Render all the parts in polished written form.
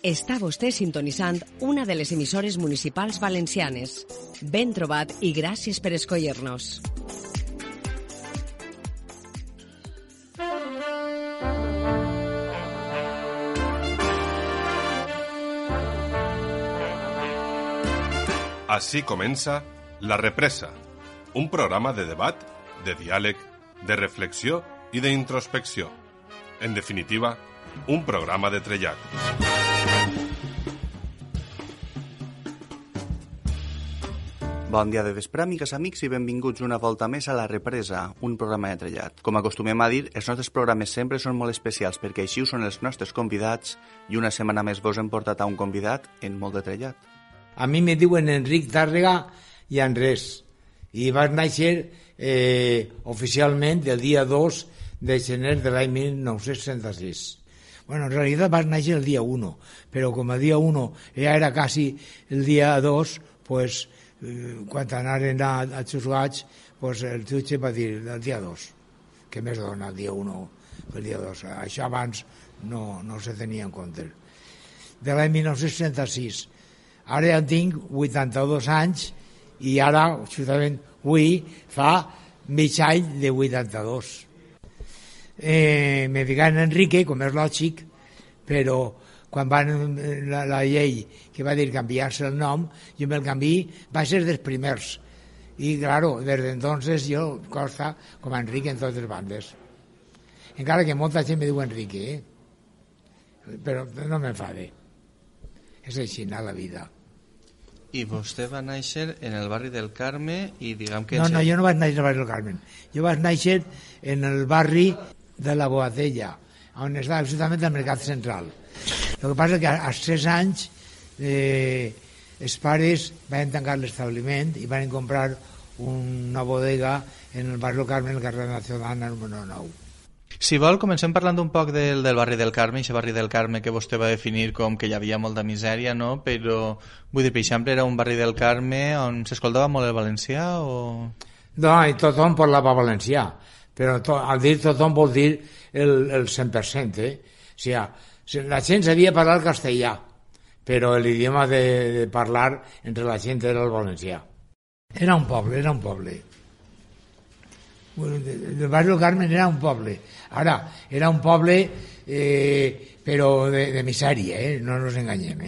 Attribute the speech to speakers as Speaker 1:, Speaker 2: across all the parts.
Speaker 1: Està vostè sintonitzant una de les emissores municipals valencianes. Ben trobat i gràcies per escollir-nos.
Speaker 2: Així comença La Represa, un programa de debat, de diàleg, de reflexió i d'introspecció. En definitiva, un programa de trellat.
Speaker 3: Bon dia de vespre, amigues, amics, i benvinguts una volta més a La Represa, un programa de trellat. Com acostumem a dir, els nostres programes sempre són molt especials perquè així ho són els nostres convidats i una setmana més vos hem portat a un convidat en molt de trellat.
Speaker 4: A mi me diuen Enric Tàrrega i Andrés i vaig néixer oficialment el dia 2 de gener de l'any 1966. Bueno, en realitat vaig néixer el dia 1, però com a dia 1 ja era quasi el dia 2, pues, quan anaren a xusgats, pues, el jutge va dir el dia 2, que més dona el dia 1 el dia 2. Això abans no se tenia en compte. De l'any 1966. Ara ja tinc 82 anys i ara, justament avui, fa mig any de 82. Me digan Enrique, com és lògic, però quan van la llei que va dir canviar-se el nom, jo me'l canviï, va ser dels primers. I, claro, des d'entonces jo costa com a Enrique en totes bandes. Encara que molta gent me diu Enrique, però no m'enfade. És així, la vida.
Speaker 3: I vostè va néixer en el barri del Carme i diguem que...
Speaker 4: No, jo no vaig néixer al barri del Carme. Jo vaig néixer en el barri de la Boadella, on estava justament el Mercat Central. El que passa és que als 3 anys els pares van tancar l'establiment i van comprar una bodega en el barri del Carme, en el carrer Nacional número 9.
Speaker 3: Si vol, comencem parlant un poc del barri del Carme, aquest barri del Carme que vostè va definir com que hi havia molta misèria, no? Però, vull dir, per exemple, era un barri del Carme on s'escoltava molt el valencià o...?
Speaker 4: No, i tothom parlava valencià, però al dir tothom vol dir el 100%, O sigui, la gent sabia parlar castellà, però l'idioma de parlar entre la gent era el valencià. Era un poble. El barri del Carme era un poble. Ara, era un poble però de misèria, no ens enganyem,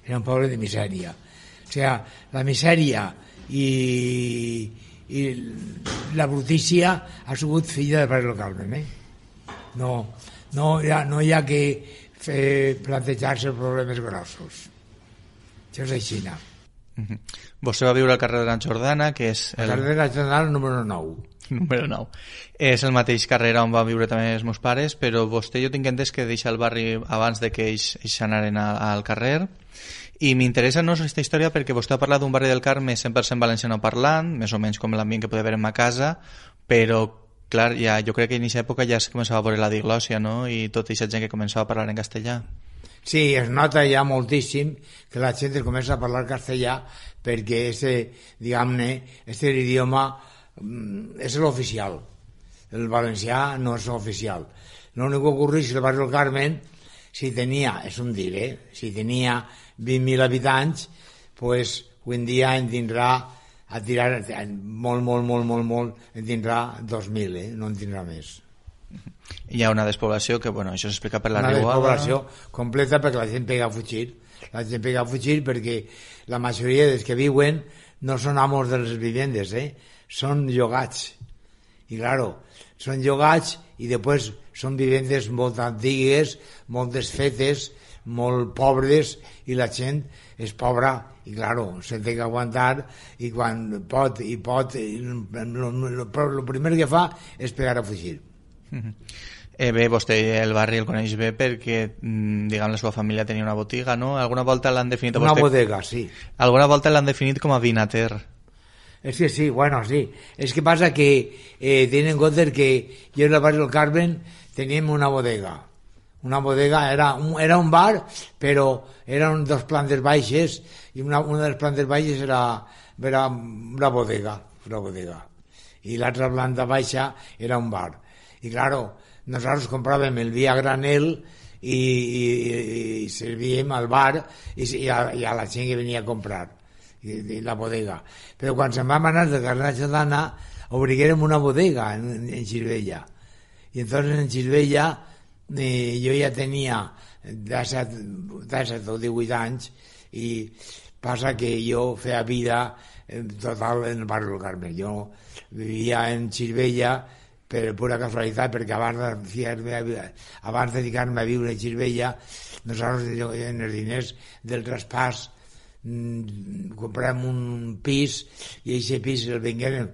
Speaker 4: Era un poble de misèria. O sigui, la misèria i la brutícia ha sigut filla del barri del Carme, No hi ha que plantejar-se problemes grossos. Això és així.
Speaker 3: Vostè va viure al carrer de la Jordana, que és...
Speaker 4: El carrer de la Jordana número 9.
Speaker 3: Número 9. És el mateix carrer on van viure també els meus pares, però vostè jo tinc entès que deixa el barri abans de que ells anaren al carrer. I m'interessa no aquesta història perquè vostè ha parlat d'un barri del Carme 100% valenciano parlant, més o menys com l'ambient que podia haver en ma casa, però clar, jo crec que en aquesta època ja es començava a veure la diglòssia, no? I tota aquesta gent que començava a parlar en castellà.
Speaker 4: Sí, es nota ja moltíssim que la gent comença a parlar castellà perquè este idioma és l'oficial. El valencià no és oficial. L'únic que ocorreix el barri del Carmen, si tenia 20.000 habitants, pues avui en dia en tindrà a tirar molt, en tindrà 2.000, no en tindrà més.
Speaker 3: Hi ha una despoblació que, bueno, això s'explica per la riuada.
Speaker 4: Una despoblació completa perquè la gent pega a fugir. La gent pega a fugir perquè la majoria dels que viuen no són amos de les vivendes, són llogats. I, claro, són llogats i després són vivendes molt antigues, molt desfetes, molt pobres, i la gent és pobra i, claro, se té que aguantar i quan pot, el primer que fa és pegar a fugir.
Speaker 3: Bé, vostè el barri el coneix bé perquè, diguem, la seva família tenia una botiga, no? Alguna volta l'han definit...
Speaker 4: Una bodega, sí.
Speaker 3: Alguna volta l'han definit com a vinater.
Speaker 4: És que sí, bueno, sí. És que passa que tenen en compte que jo en el barri del Carmen teníem una bodega. Una bodega era un bar, però eren 2 plantes baixes i una de les plantes baixes era una bodega. I l'altra planta baixa era un bar. I, claro, nosaltres compràvem el vi a granel i i servíem al bar i a la gent que venia a comprar i la bodega. Però quan se'n vam anar de Carrer Jordana obriguérem una bodega en Girbella, y entonces en Girbella jo ja tenia 17 o 18 anys i passa que jo feia vida total en el barri del Carmel. Jo vivia en Girbella per pura casualitat, perquè abans de dedicar-me a viure a Girbella, nosaltres en els diners del traspàs comprem un pis i aquest pis el venguem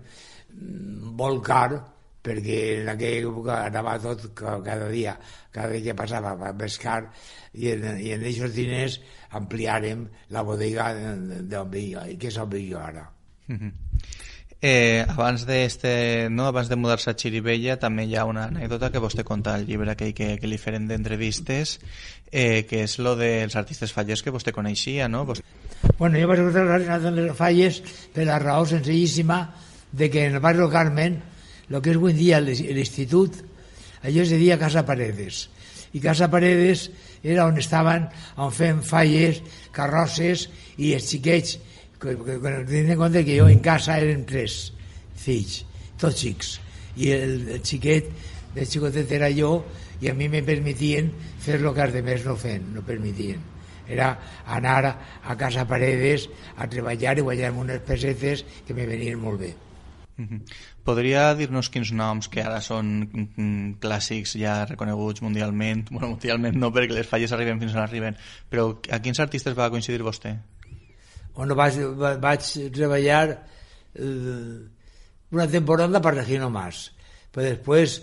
Speaker 4: molt car, perquè en aquella època anava tot cada dia que passava més car, i en aquests diners ampliarem la bodega d'on viu, que és on viu jo ara.
Speaker 3: Abans de mudar-se a Xirivella també hi ha una anècdota que vostè conta al llibre aquell que li feren d'entrevistes, que és lo dels artistes fallers que vostè coneixia, no?
Speaker 4: Bueno, jo vaig conèixer les falles per la raó senzillíssima de que en el barri del Carmen, el que és avui dia l'institut, allò es deia Casa Paredes, i Casa Paredes era on estaven, on feien falles, carrosses, i els xiquets, tenint en compte que jo en casa eren 3 fills, tots xics, i el xiquet, el xicotet era jo, i a mi me permetien fer el que els altres no feien, no permetien. Era anar a Casa Paredes a treballar i guanyar unes pessetes que me venien molt bé.
Speaker 3: Podria dir-nos quins noms que ara són clàssics ja reconeguts mundialment? Bueno, mundialment no, perquè les falles arriben fins on arriben, però a quins artistes va coincidir vostè?
Speaker 4: Bueno, vaig treballar una temporada per Regino Mas, però després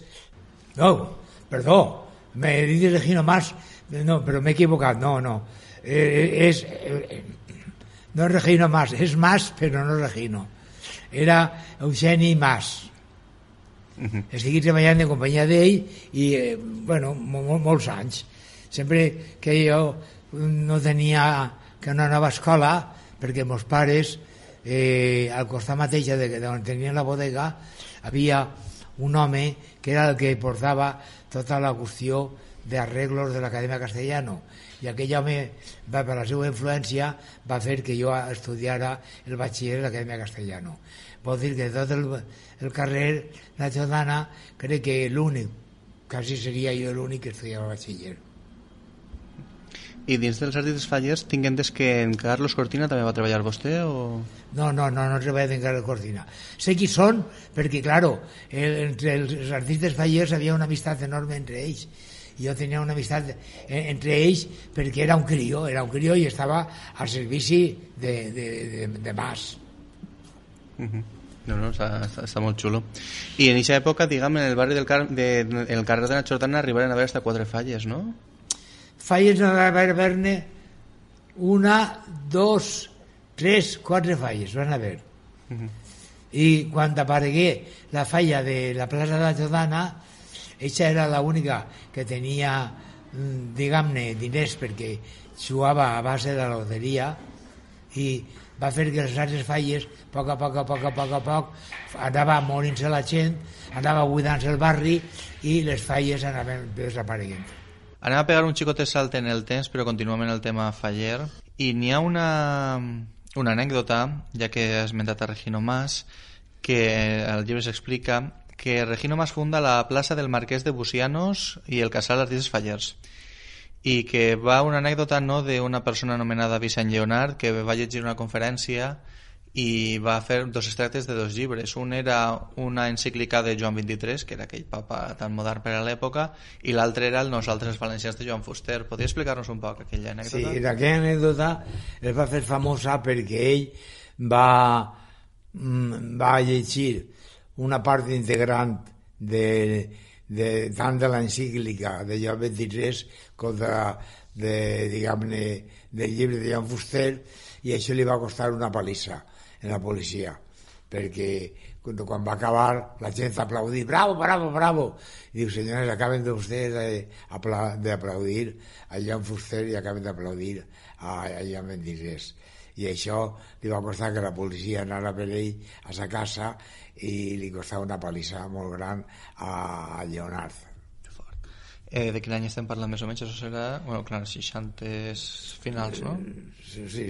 Speaker 4: me he dit Regino Mas, no, però m'he equivocat, no no és Regino Mas, és Mas però no Regino, era Eugeni Mas. Estic treballant en companyia d'ell i molts anys, sempre que jo no anava a escola, perquè meus pares al costat mateix on tenien la bodega havia un home que era el que portava tota la qüestió d'arreglos de l'Acadèmia Castellano, i aquell home, per la seva influència, va fer que jo estudiara el batxiller de l'Acadèmia Castellano. Vol dir que tot el carrer La Jordana, crec que l'únic, quasi seria jo l'únic que estudiava batxiller.
Speaker 3: I dins dels artistes fallers tinc entès que en Carlos Cortina també va treballar vostè o...?
Speaker 4: No treballa en Carlos Cortina. Sé qui són perquè, claro, entre els artistes fallers havia una amistat enorme entre ells. Jo tenia una amistat entre ells perquè era un crió i estava al servici de Mas.
Speaker 3: No, està molt xulo. I en aquesta època, diguem, en el barri del carrer de la Jordana arribaren a haver hasta 4 falles, no?
Speaker 4: Falles no va haver-ne 1, 2, 3, 4 falles van haver. I quan aparegué la falla de la plaça de la Jordana, ella era l'única que tenia, diguem-ne, diners, perquè jugava a base de la loteria, i va fer que les altres falles, a poc, anava morint-se la gent, anava buidant-se el barri i les falles anaven desapareguent.
Speaker 3: Anem a pegar un xicotet salt en el temps, però continuem en el tema faller, i n'hi ha una anècdota, ja que has esmentat a Regino Mas, que al llibre s'explica que Regino Mas funda la plaça del Marquès de Bucianos i el casal d'artistes fallers, i que va una anècdota d'una persona anomenada Vicent Lleonard, que va llegir una conferència i va fer 2 extractes de 2 llibres. Un era una encíclica de Joan XXIII, que era aquell papa tan modern per a l'època, i l'altre era el Nosaltres els valencians de Joan Fuster. Podria explicar-nos un poc aquella anècdota?
Speaker 4: Sí, aquella anècdota es va fer famosa perquè ell va llegir una part integrant tant de l'encíclica de Joan XXIII com del llibre de Joan Fuster, i això li va costar una palissa en la policia, perquè quan va acabar la gent aplaudir, bravo, i diu, senyores, acaben de ustedes d'aplaudir a Joan Fuster i acaben d'aplaudir a Joan XXIII, i això li va costar que la policia anara per ell a sa casa i li costava una palissa molt gran a Leonard.
Speaker 3: De quin any estem parlant més o menys? Això serà, bueno, clar, 60 finals, no?
Speaker 4: Sí,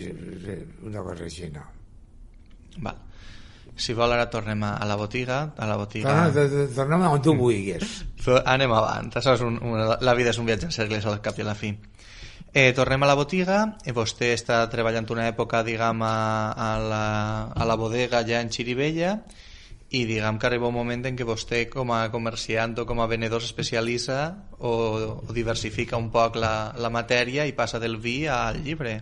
Speaker 4: una cosa així, no.
Speaker 3: Val. Si vol, ara tornem a la botiga.
Speaker 4: Tornem on tu vulguis.
Speaker 3: Anem avant. Això és la vida és un viatge en cercles al cap i a la fi. Tornem a la botiga. Vostè està treballant una època, diguem, a la bodega ja en Xirivella, i diguem que arriba un moment en què vostè com a comerciant o com a venedor s'especialitza o diversifica un poc la matèria i passa del vi al llibre.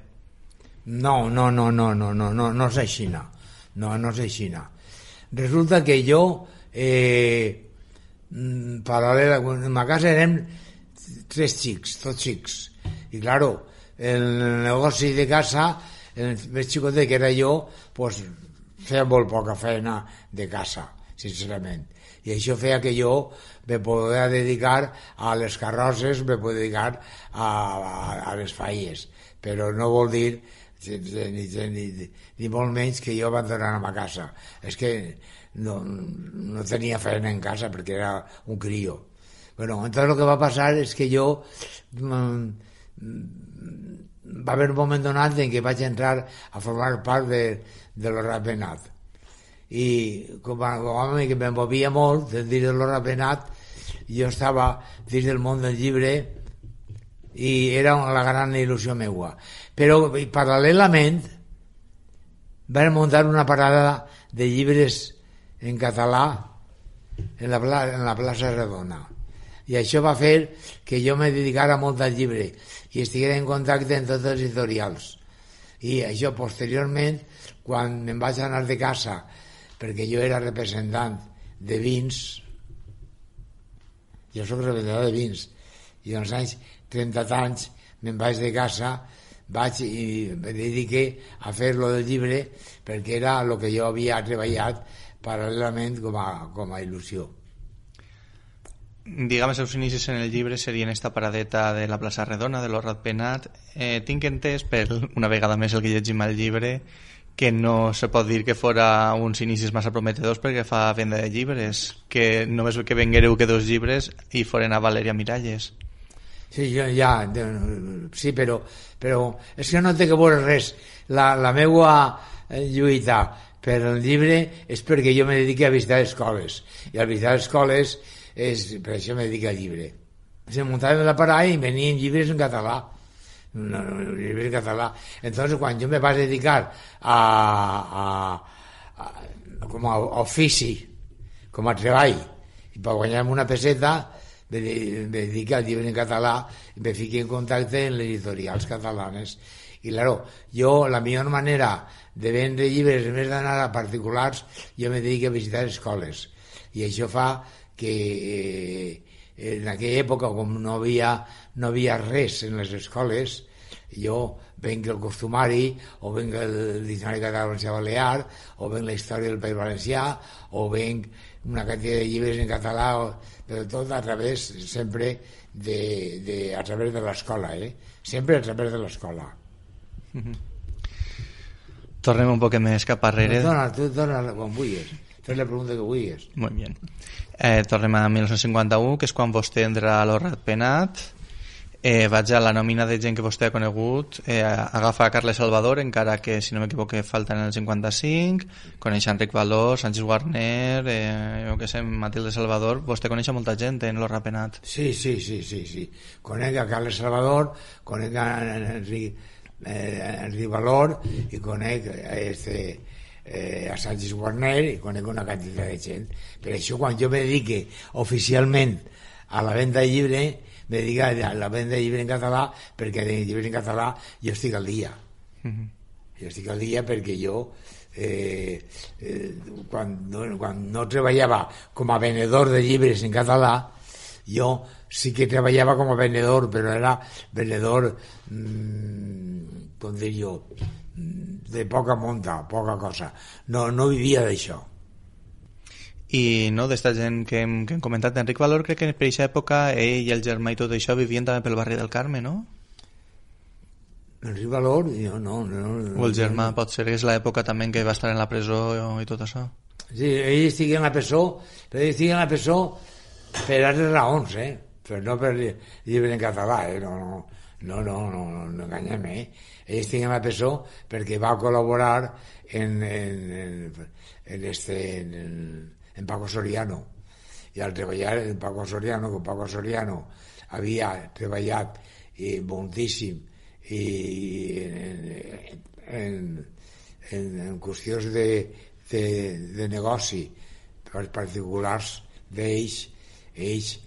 Speaker 4: No és així, no és així. Resulta que jo paral·lela, en ma casa érem 3 xics, tots xics, i claro, el negoci de casa, el més xicotet que era jo, pues feia molt poca feina de casa, sincerament, i això feia que jo me podia dedicar a les carrosses, me podia dedicar a les falles, però no vol dir ni molt menys que jo abandonar a ma casa. És que no tenia feina en casa perquè era un crio. Bueno, entonces lo que va passar és que jo va haver un moment donat en què vaig entrar a formar part de l'Horrat Penat, i com a home que m'envolvia molt dins de l'Horrat Penat, jo estava dins del món del llibre i era la gran il·lusió meua, però paral·lelament vam muntar una parada de llibres en català en la plaça Redona, i això va fer que jo me dedicara molt al llibre i estiguera en contacte amb tots els editorials. I això posteriorment, quan me'n vaig anar de casa, perquè jo era representant de vins, jo soc representant de vins, i als anys 30 anys me'n vaig de casa, vaig i me dediqué a fer lo del llibre, perquè era el que jo havia treballat paral·lelament com a il·lusió.
Speaker 3: Diguem, els seus inicis en el llibre serien esta paradeta de la plaça Redona, de l'Horrat Penat. Tinc entès, per una vegada més el que llegim al llibre, que no se pot dir que fora uns inicis massa prometedors perquè fa venda de llibres, que només que venguereu que 2 llibres i foren a Valèria Miralles.
Speaker 4: Sí, sí, però és que no té que veure res. La meua lluita per el llibre és perquè jo me dedico a visitar escoles, i al visitar escoles per això me dedico al llibre. Se muntava la parada i venien llibres en català, llibres en català. Entonces, quan jo me vaig dedicar com a ofici, com a treball, i per guanyar-me una peseta, me dedico al llibre en català i me fiqué en contacte amb les editorials catalanes. I claro, jo la millor manera de vendre llibres, en més d'anar a particulars, jo me dedico a visitar escoles, i això fa que en aquella època, com no havia res en les escoles, jo venc el costumari, o venc el diccionari català valencià balear, o venc la història del País Valencià, o venc una quantitat de llibres en català, però tot a través sempre a través de l'escola, sempre a través de l'escola.
Speaker 3: Tornem un poc més cap arrere.
Speaker 4: Tu dona quan vulguis, fes la pregunta que vulguis.
Speaker 3: Molt bé. Tornem a 1951, que és quan vostè entra a l'Horrat Penat. Vaig a la nòmina de gent que vostè ha conegut. Agafa a Carles Salvador, encara que, si no m'equivoco, falta en el 55. Coneix Enric Valor, Sánchez Warner, jo que sé, Matilde Salvador. Vostè coneix molta gent en l'Horrat Penat.
Speaker 4: Sí. Conec a Carles Salvador, conec a Enric Valor, i conec a Sánchez Warner, i conec una quantitat de gent. Per això, quan jo me dedique oficialment a la venda de llibre, me dedico a la venda de llibre en català, perquè de llibre en català jo estic al dia. Jo estic al dia perquè jo quan no treballava com a venedor de llibres en català, jo sí que treballava com a venedor, però era venedor com dir jo, de poca monta, poca cosa. No vivia d'això.
Speaker 3: I no, d'esta gent que hem comentat, Enric Valor, crec que per aquesta època ell i el germà i tot això vivien també pel barri del Carme, no?
Speaker 4: Enric Valor? No.
Speaker 3: O el germà, potser és l'època també en què va estar en la presó i tot això.
Speaker 4: Sí, ell estigui en la presó, però ell estigui en la presó per altres raons, però no per llibre en català, no enganyem, Ells tenien la presó perquè va col·laborar en Paco Soriano, i al treballar en Paco Soriano, que Paco Soriano havia treballat moltíssim i en qüestions de negoci particulars d'ells, ells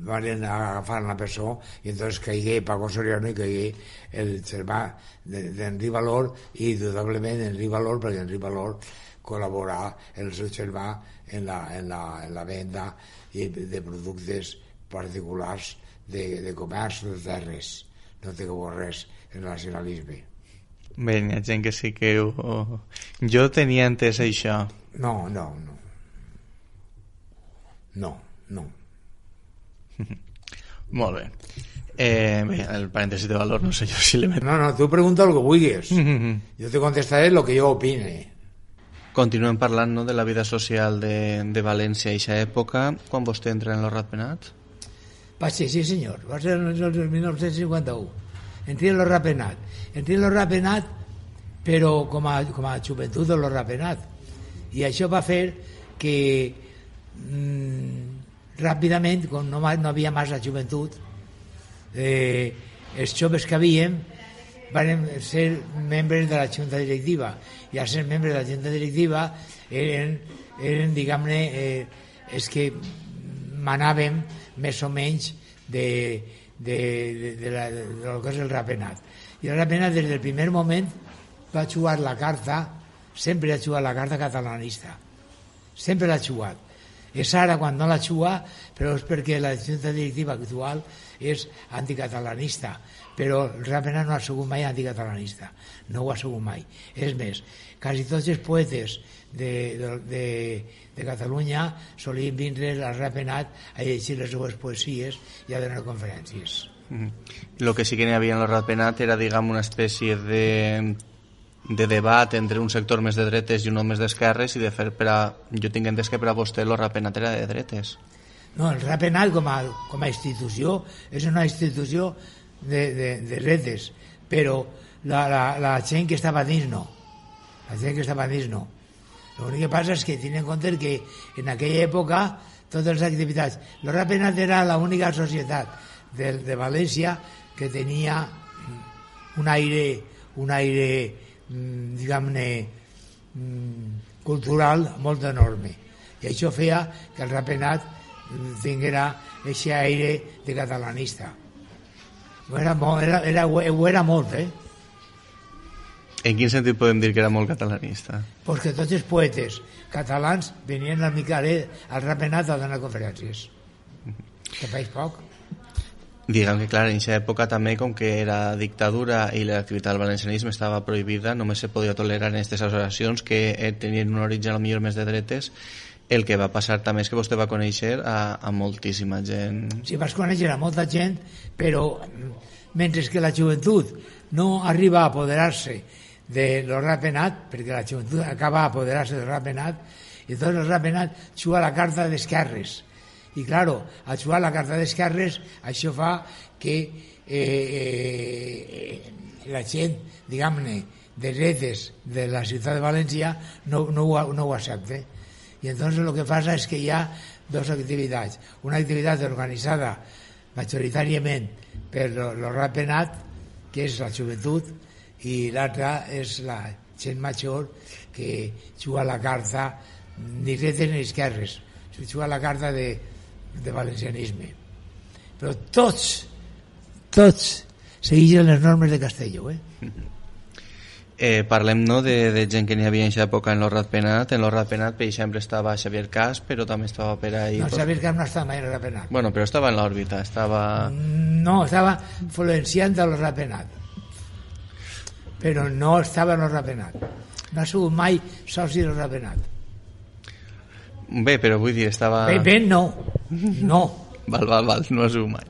Speaker 4: van agafar la presó i entonces caigué Paco Soriano i caigué el germà d'Henri Valor, i indudablement Henri Valor, perquè Henri Valor col·laborà el seu germà en la venda de productes particulars de comerç de terres. No té que veure res el nacionalisme.
Speaker 3: Bé, hi ha gent que sí que jo tenia entès això.
Speaker 4: No.
Speaker 3: Molt bé. Bé, el parèntesi de Valor no sé jo si l'he...
Speaker 4: No, tu pregunta el que vulguis. Jo te contestaré el que jo opine.
Speaker 3: Continuem parlant, no, de la vida social de València a aquesta època, quan vostè entra en el Ratpenat?
Speaker 4: Va ser, sí senyor, va ser el 1951. Entré en el Ratpenat, però com a joventut de el Ratpenat. I això va fer que ràpidament, com no havia massa joventut, els joves que havíem van ser membres de la junta directiva, i al ser membres de la junta directiva eren diguem-ne, els que manàvem més o menys de lo que és el Ratpenat. I el Ratpenat des del primer moment va jugar la carta, sempre ha jugat la carta catalanista, sempre l'ha jugat. És ara quan no la juga, però és perquè la junta directiva actual és anticatalanista, però el Ratpenat no ha sigut mai anticatalanista, no ho ha sigut mai. És més, quasi tots els poetes de Catalunya solien vindre al Ratpenat a llegir les seues poesies i a donar conferències.
Speaker 3: Lo que sí que n'hi havia en el Ratpenat era, diguem, una espècie de debat entre un sector més de dretes i un més d'esquerres, i de fer jo tinc entès que per a vostè el Ratpenat era de dretes.
Speaker 4: No, el Ratpenat com a institució és una institució de dretes, però la gent que estava dins no. La gent que estava dins no. L'únic que passa és que tenen en compte que en aquella època totes les activitats... El Ratpenat era l'única societat de València que tenia un aire diguem-ne cultural molt enorme, i això feia que el Ratpenat tinguera aquest aire de catalanista. Ho era molt,
Speaker 3: En quin sentit podem dir que era molt catalanista?
Speaker 4: Pues que tots els poetes catalans venien al al Ratpenat a donar conferències. Que feis poc.
Speaker 3: Diguem que, clar, en aquesta època també, com que era dictadura i l'activitat del valencianisme estava prohibida, només se podia tolerar en aquestes associacions que tenien un origen potser més de dretes. El que va passar també és que vostè va conèixer a moltíssima gent.
Speaker 4: Sí, vas conèixer a molta gent, però mentre que la joventut no arriba a apoderar-se de lo Ratpenat, perquè la joventut acaba a apoderar-se del Ratpenat, i tot el Ratpenat juga la carta d'esquerres. I, claro, al jugar la carta d'esquerres, això fa que la gent, diguem-ne, de dretes de la ciutat de València no ho accepta. I entonces el que passa és que hi ha dues activitats. Una activitat organitzada majoritàriament per el Ratpenat, que és la joventut, i l'altra és la gent major que juga la carta ni dretes ni esquerres, juga la carta de valencianisme. Però tots segueixen les normes de Castelló.
Speaker 3: Parlem, no, de gent que n'hi havia en aquesta època en el Ratpenat. En el Ratpenat, per exemple, estava Xavier Cas, però també estava per ahí...
Speaker 4: No, Xavier Cas no estava mai en el Ratpenat.
Speaker 3: Bueno, però estava en l'òrbita, estava...
Speaker 4: No, estava influenciant el Ratpenat, però no estava en el Ratpenat. No ha sigut mai soci del Ratpenat.
Speaker 3: Bé, però vull dir, estava...
Speaker 4: Ben, no.
Speaker 3: Val, no ha sigut mai.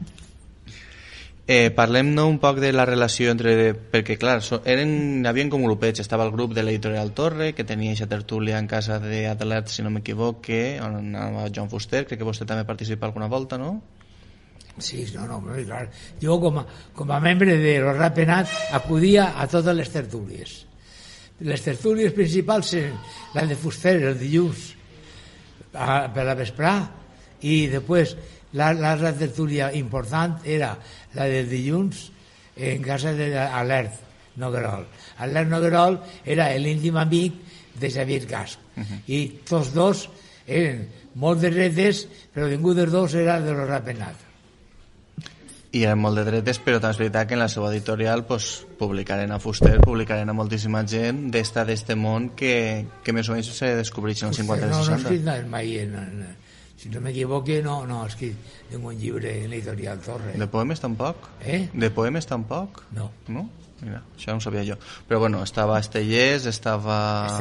Speaker 3: Parlem, no, un poc de la relació entre... Perquè, clar, havien com grupets. Estava el grup de l'Editorial Torre, que tenia aquesta tertúlia en casa d'Adelet, si no m'equivoque, on anava Joan Fuster. Crec que vostè també participa alguna volta, no?
Speaker 4: Sí, no, clar. Jo com a membre de los Rapenat acudia a totes les tertúlies. Les tertúlies principals eren la de Fuster el dilluns per la vesprà i després l'altra tertúlia important era la del dilluns en casa d'Alert Noguerol. Alert Noguerol era l'íntim amic de Xavier Casp i tots dos eren molt de dretes, però ningú dels dos era de los Rapenat.
Speaker 3: I eren molt de dretes, però també és veritat que en la seva editorial pues, publicaren a Fuster, publicaren a moltíssima gent d'este món que més o menys se descobreix en els 50 i 60.
Speaker 4: No he escrit mai, si no m'equivoque, no he escrit un llibre en l'editorial Torre.
Speaker 3: De poemes tampoc? De poemes tampoc?
Speaker 4: No.
Speaker 3: No? Mira, això no ho sabia jo. Però bueno, estava Estellés, estava...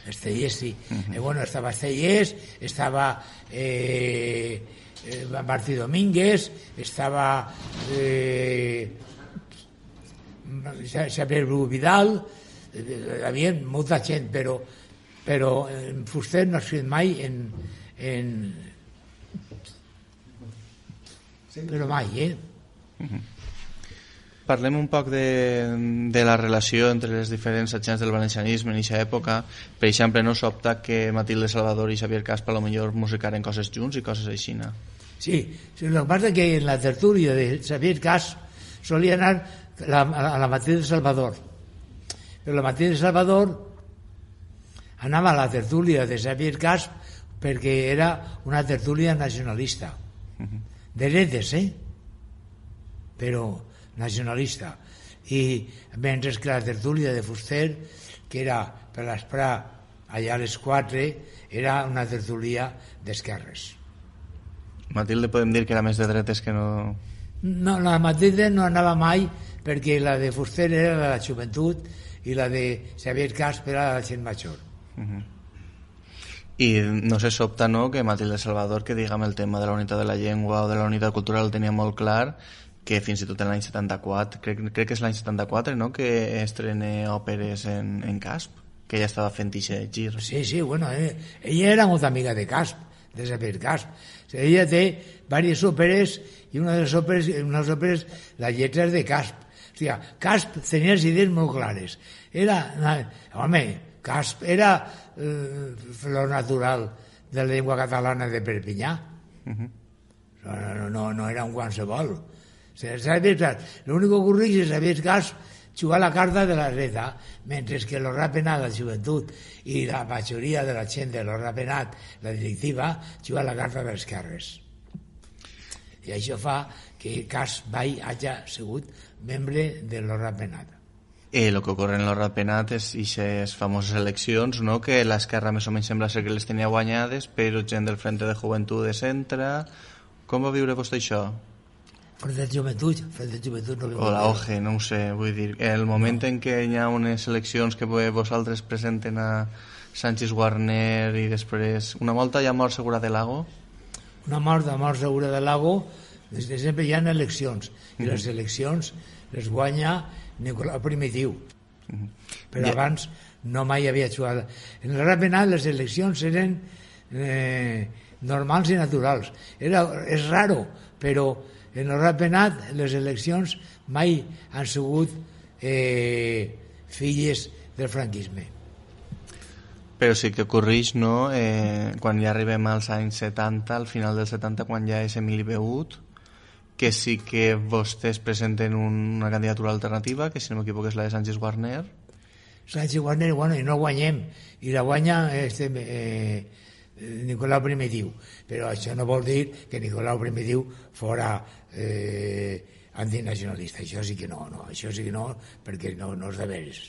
Speaker 4: Estellés, sí. Bueno, estava Estellés, estava... Martí Domínguez, estava Xavier Bru Vidal, hi havia molta gent, però Fuster no ha escrit mai però mai,
Speaker 3: Parlem un poc de la relació entre les diferents agents del valencianisme en aquesta època. Per exemple, no sobta que Matilde Salvador i Xavier Casp a lo millor musicaren coses junts i coses així.
Speaker 4: Sí, el que passa que en la tertúlia de Xavier Casp solia anar a la Matilde Salvador, però la Matilde Salvador anava a la tertúlia de Xavier Casp perquè era una tertúlia nacionalista, de dretes, però nacionalista, i mentre que la tertúlia de Fuster, que era per l'esprà allà a les 4, era una tertúlia d'esquerres.
Speaker 3: Matilde podem dir que era més de dretes que no...
Speaker 4: No, la Matilde no anava mai perquè la de Fuster era de la joventut i la de Xavier Casp era de la gent major.
Speaker 3: I no se sobta, no?, que Matilde Salvador, que diguem el tema de la unitat de la llengua o de la unitat cultural el tenia molt clar, que fins i tot en l'any 74, crec que és l'any 74, no?, que estrena òperes en Casp, que ella estava fent aquest gir.
Speaker 4: Sí, bueno, ella era molt amiga de Casp, de Xavier Casp. Ella té diverses òperes i una de les òperes, la lletra és de Casp. O sigui, Casp tenia les idees molt clares. Casp era flor natural de la llengua catalana de Perpinyà. No era un qualsevol. L'únic que ocorreix és Xavier Casp jugar la carta de la dreta, mentre que los Rapenat, la joventut, i la majoria de la gent de los Rapenat, la directiva, juga la carta de les esquerres. I això fa que Casp mai hagi sigut membre de los Rapenat.
Speaker 3: El que ocorre en los Rapenat és aquestes famoses eleccions, no?, que l'esquerra més o menys sembla ser que les tenia guanyades, però gent del Frente de Joventut de centre... Com va viure vostè això?
Speaker 4: Frente de Joventut no
Speaker 3: o la OGE, no ho sé, vull dir, el moment en què hi ha unes eleccions que vosaltres presenten a Sánchez Warner i després una volta hi ha mort segura de Lago?
Speaker 4: Una mort segura de Lago, des de sempre hi ha eleccions, i les eleccions les guanya Nicolau Primitiu, però abans no mai havia jugat. En el Rapenat les eleccions eren normals i naturals. És raro, però en el Rapenat les eleccions mai han sigut filles del franquisme.
Speaker 3: Però sí que ocorreix, no?, quan ja arribem als anys 70, al final del 70, quan ja és Emili Beut, que sí que vostès presenten una candidatura alternativa, que si no m'equivoco és la de Sánchez Warner.
Speaker 4: Sánchez Warner, bueno, i no guanyem, i la guanya Nicolau Primitiu, però això no vol dir que Nicolau Primitiu fora antinacionalista. Això sí que no, perquè no és de veres.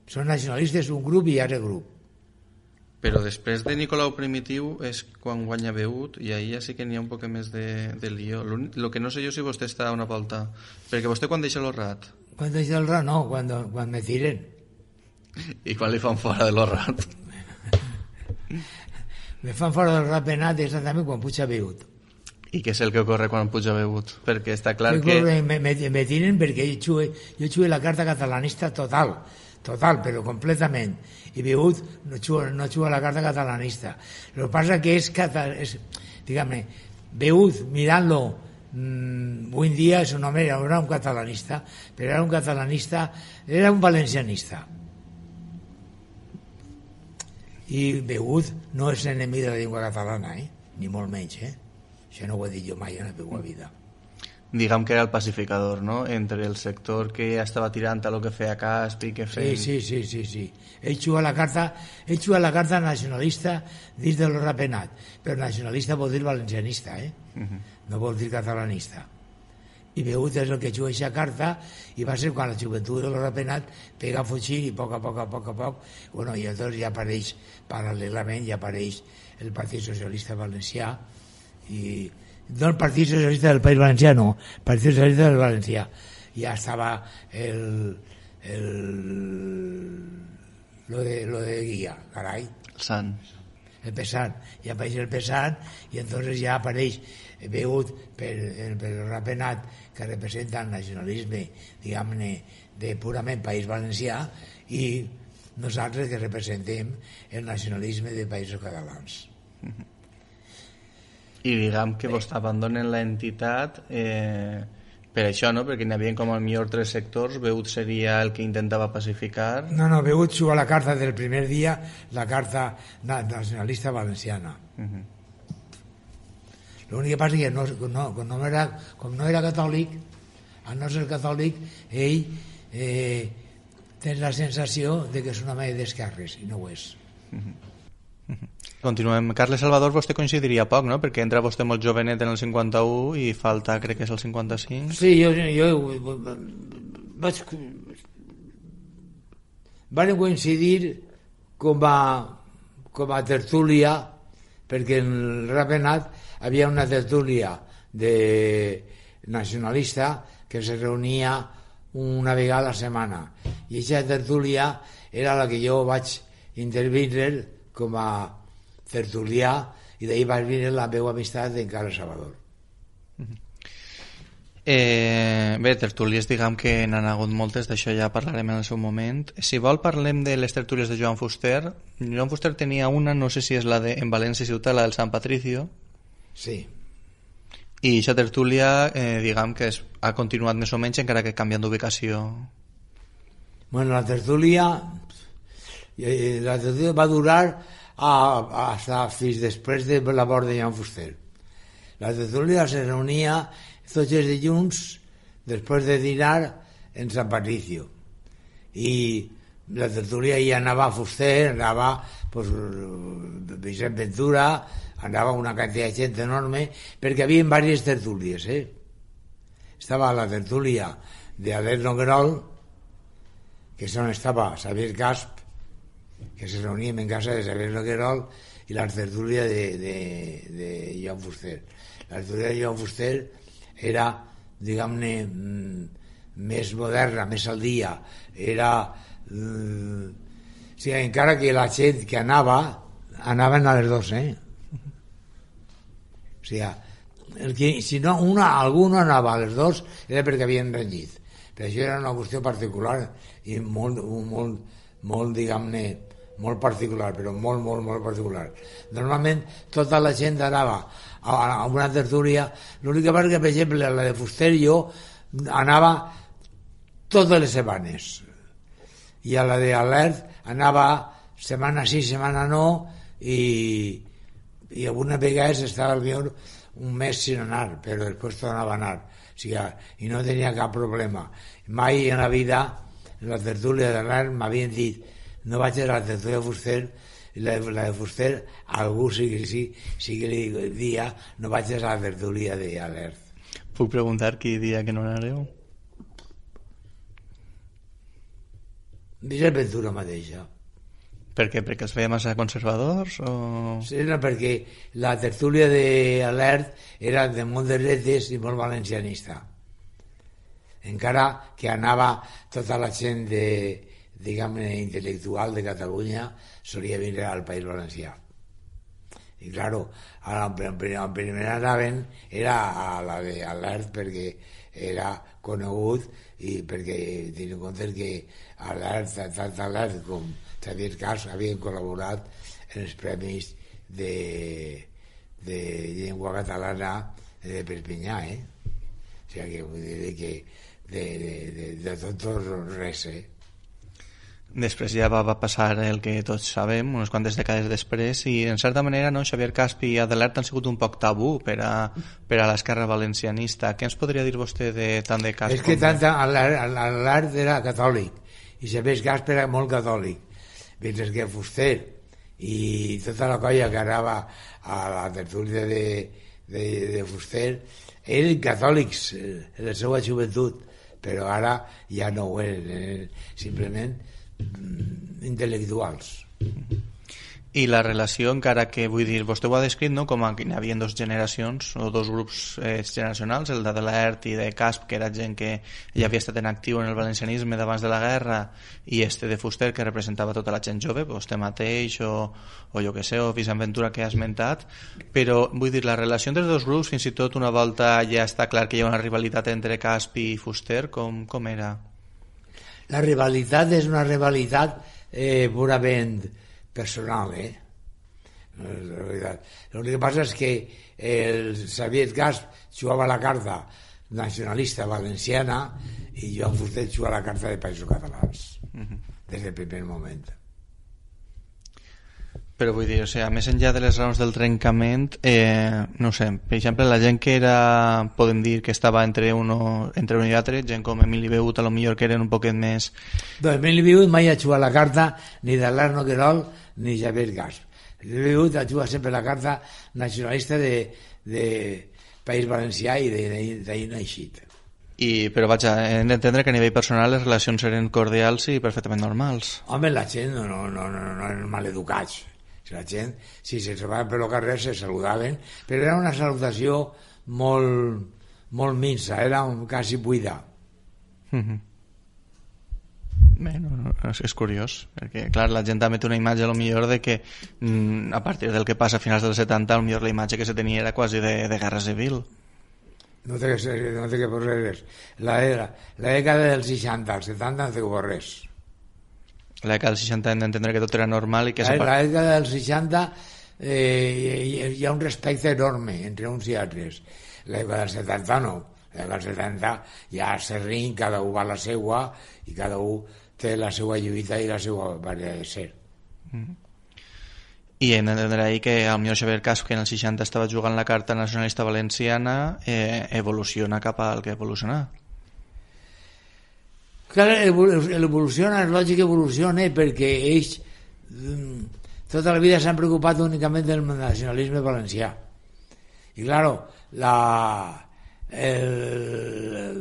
Speaker 4: Són nacionalistes un grup i altre grup.
Speaker 3: Però després de Nicolau Primitiu és quan guanya Beut, i ahir ja sí que n'hi ha un poc més de lío. El que no sé jo si vostè està una volta... Perquè vostè quan deixa l'Orrat?
Speaker 4: Quan deixa l'Orrat no, quan me tiren.
Speaker 3: I quan li fan fora de l'Orrat?
Speaker 4: Me fan fora del Rapenat exactament quan puja Beut.
Speaker 3: I què és el que ocorre quan puja Beut? Perquè està clar que...
Speaker 4: Me tiren perquè jo jugué la carta catalanista total, però completament. I Beut no juga la carta catalanista. El que passa que és diguem-ne, Beud, mirant-lo, avui en dia és un home, era un catalanista, però era un catalanista, era un valencianista. I Beud no és enemic de la llengua catalana, ni molt menys, Això no ho he dit jo mai en la meva vida.
Speaker 3: Diguem que era el pacificador, no?, entre el sector que estava tirant a lo que feia Caspi, que feia...
Speaker 4: Sí. Ell juga la carta nacionalista dins de lo rapenat, però nacionalista vol dir valencianista, no vol dir catalanista. I Beut és el que juga aquesta carta, i va ser quan la joventut de lo rapenat pega a fugir i a poc, bueno, i llavors ja apareix, paral·lelament, ja apareix el Partit Socialista Valencià, i no el Partit Socialista del País Valencià, no, el Partit Socialista del Valencià. Ja estava lo de Guia, carai.
Speaker 3: El Sant.
Speaker 4: El Pesant. Ja apareix el Pesant i entonces ja apareix Beut per el rapenat que representa el nacionalisme, diguem-ne, de purament País Valencià, i nosaltres que representem el nacionalisme de països catalans.
Speaker 3: I diguem que vos abandonen l'entitat per això, no? Perquè n'hi havia com al millor 3 sectors. Beut seria el que intentava pacificar.
Speaker 4: No, Beut juga la carta del primer dia, la carta nacionalista valenciana. L'únic que passa és que com no era catòlic, al no ser catòlic, ell té la sensació de que és una mena d'esquerres, i no ho és.
Speaker 3: Continuem. Carles Salvador, vostè coincidiria poc, no? Perquè entra vostè molt jovenet en el 51 i falta, crec que és el 55.
Speaker 4: Sí, jo vaig... Van coincidir com a tertúlia, perquè en el Rapenat havia una tertúlia nacionalista que se reunia una vegada a la setmana, i aquesta tertúlia era la que jo vaig intervindre com a tertulià, i d'ahir va venir la meva amistat en Carles Salvador.
Speaker 3: Bé, tertúlies, diguem que n'han hagut moltes, d'això ja parlarem en el seu moment. Si vol, parlem de les tertúlies de Joan Fuster. Joan Fuster tenia una, no sé si és la de en València Ciutat, la del Sant Patricio.
Speaker 4: Sí.
Speaker 3: I aquesta tertúlia, diguem que ha continuat més o menys, encara que canviant d'ubicació.
Speaker 4: Bueno, la tertúlia va durar fins després de la mort de Joan Fuster. La tertúlia se reunia tots els dilluns després de dinar en Sant Patricio, i la tertúlia hi anava Fuster, anava Vicent Ventura, anava una quantitat de gent enorme, perquè hi havia diverses tertúlies. Estava la tertúlia d'Alert Noguerol, que és on estava Xavier Casp, que se reuníem en casa de Xavier Noguerol, i la tertúlia de Joan Fuster. La tertúlia de Joan Fuster era, diguem-ne, més moderna, més al dia. Era... o sigui, encara que la gent que anaven a les 2, O sigui, si no, algú no anava a les 2 era perquè havien renyit. Però això era una qüestió particular i molt, diguem-ne, molt particular, però molt particular. Normalment tota la gent anava a una tertúlia. L'única part que, per exemple, la de Fuster, jo anava totes les setmanes, i a la d'Alert anava setmana sí, setmana no, i algunes vegades estava millor un mes sin anar, però després tornava a anar. O sigui, i no tenia cap problema. Mai en la vida, en la tertúlia d'Alert, m'havien dit: no vaig a la tertúlia de Fuster, i la de Fuster, algú sí que li dia: no vaig a la tertúlia d'Alert.
Speaker 3: Puc preguntar qui dia que no anareu?
Speaker 4: Vicent Ventura mateixa.
Speaker 3: Per què? Perquè els feia massa conservadors? O...
Speaker 4: Sí, no, perquè la tertúlia d'Alert era de molt de dretes i molt valencianista. Encara que anava tota la gent diguem-ne, intel·lectual de Catalunya, solia vindre al País Valencià. I, claro, en primer anaven era a la d'Alert, perquè era conegut, i perquè tenint en compte que tant Alert com Xavier Cas havien col·laborat en els premis de llengua catalana de Perpinyà, O sigui que vull dir que de tot res,
Speaker 3: Després ja va passar el que tots sabem, unes quantes dècades després, i en certa manera no, Xavier Casp i Adelard han sigut un poc tabú per a l'esquerra valencianista. Què ens podria dir vostè tant de Casp?
Speaker 4: És que Adelard era catòlic i Xavier Casp era molt catòlic, mentre que Fuster i tota la colla que anava a la tertúlia de Fuster eren catòlics en la seva joventut, però ara ja no ho eren, simplement intel·lectuals.
Speaker 3: I la relació, encara que vull dir, vostè ho ha descrit, no?, com que hi havia dues generacions o dos grups generacionals, el d'Adelard i de Casp, que era gent que ja havia estat en actiu en el valencianisme d'abans de la guerra, i de Fuster, que representava tota la gent jove, vostè mateix o jo que sé, o Vicent Ventura, que ha esmentat. Però vull dir, la relació entre els dos grups, fins i tot una volta ja està clar que hi ha una rivalitat entre Casp i Fuster, com era?
Speaker 4: La rivalitat és una rivalitat purament personal, L'únic que passa és que el Xavier Casp jugava la carta nacionalista valenciana i Joan Fuster jugava la carta de Països Catalans, des del primer moment.
Speaker 3: Però vull dir, més enllà de les raons del trencament, no sé, per exemple, la gent que era, podem dir, que estava entre un i altre, gent com Emili Beut, a lo millor que eren un poquet més...
Speaker 4: Doncs Emili Beut mai ha jugat la carta ni d'Adelard Noguerol ni Xavier Casp. Emili Beut ha jugat sempre la carta nacionalista de País Valencià i d'ahir no ha eixit.
Speaker 3: Però vaja, hem d'entendre que a nivell personal les relacions eren cordials i perfectament normals.
Speaker 4: Home, la gent no eren maleducats. La gent, si se trobaven per el carrer, se saludaven, però era una salutació molt minsa, era quasi buida.
Speaker 3: Bé, és curiós, perquè clar, la gent també té una imatge a lo millor de que a partir del que passa a finals dels 70, a lo millor la imatge que se tenia era quasi de guerra civil.
Speaker 4: No té que posar res. La dècada dels 60, als 70 no té que posar res.
Speaker 3: La dècada dels 60 hem d'entendre que tot era normal i que...
Speaker 4: La dècada dels 60 hi ha un respecte enorme entre uns i altres. La dècada dels 70 no. La dècada dels 70 ja s'errin, cada un va a la seua i cada un té la seva lluita i la seva manera de ser.
Speaker 3: I hem d'entendre ahir que el millor Xavier Casp, que en el 60 estava jugant la carta nacionalista valenciana, evoluciona cap al que evoluciona.
Speaker 4: Clar, evoluciona, és lògic que evoluciona perquè ells tota la vida s'han preocupat únicament del nacionalisme valencià. I claro, el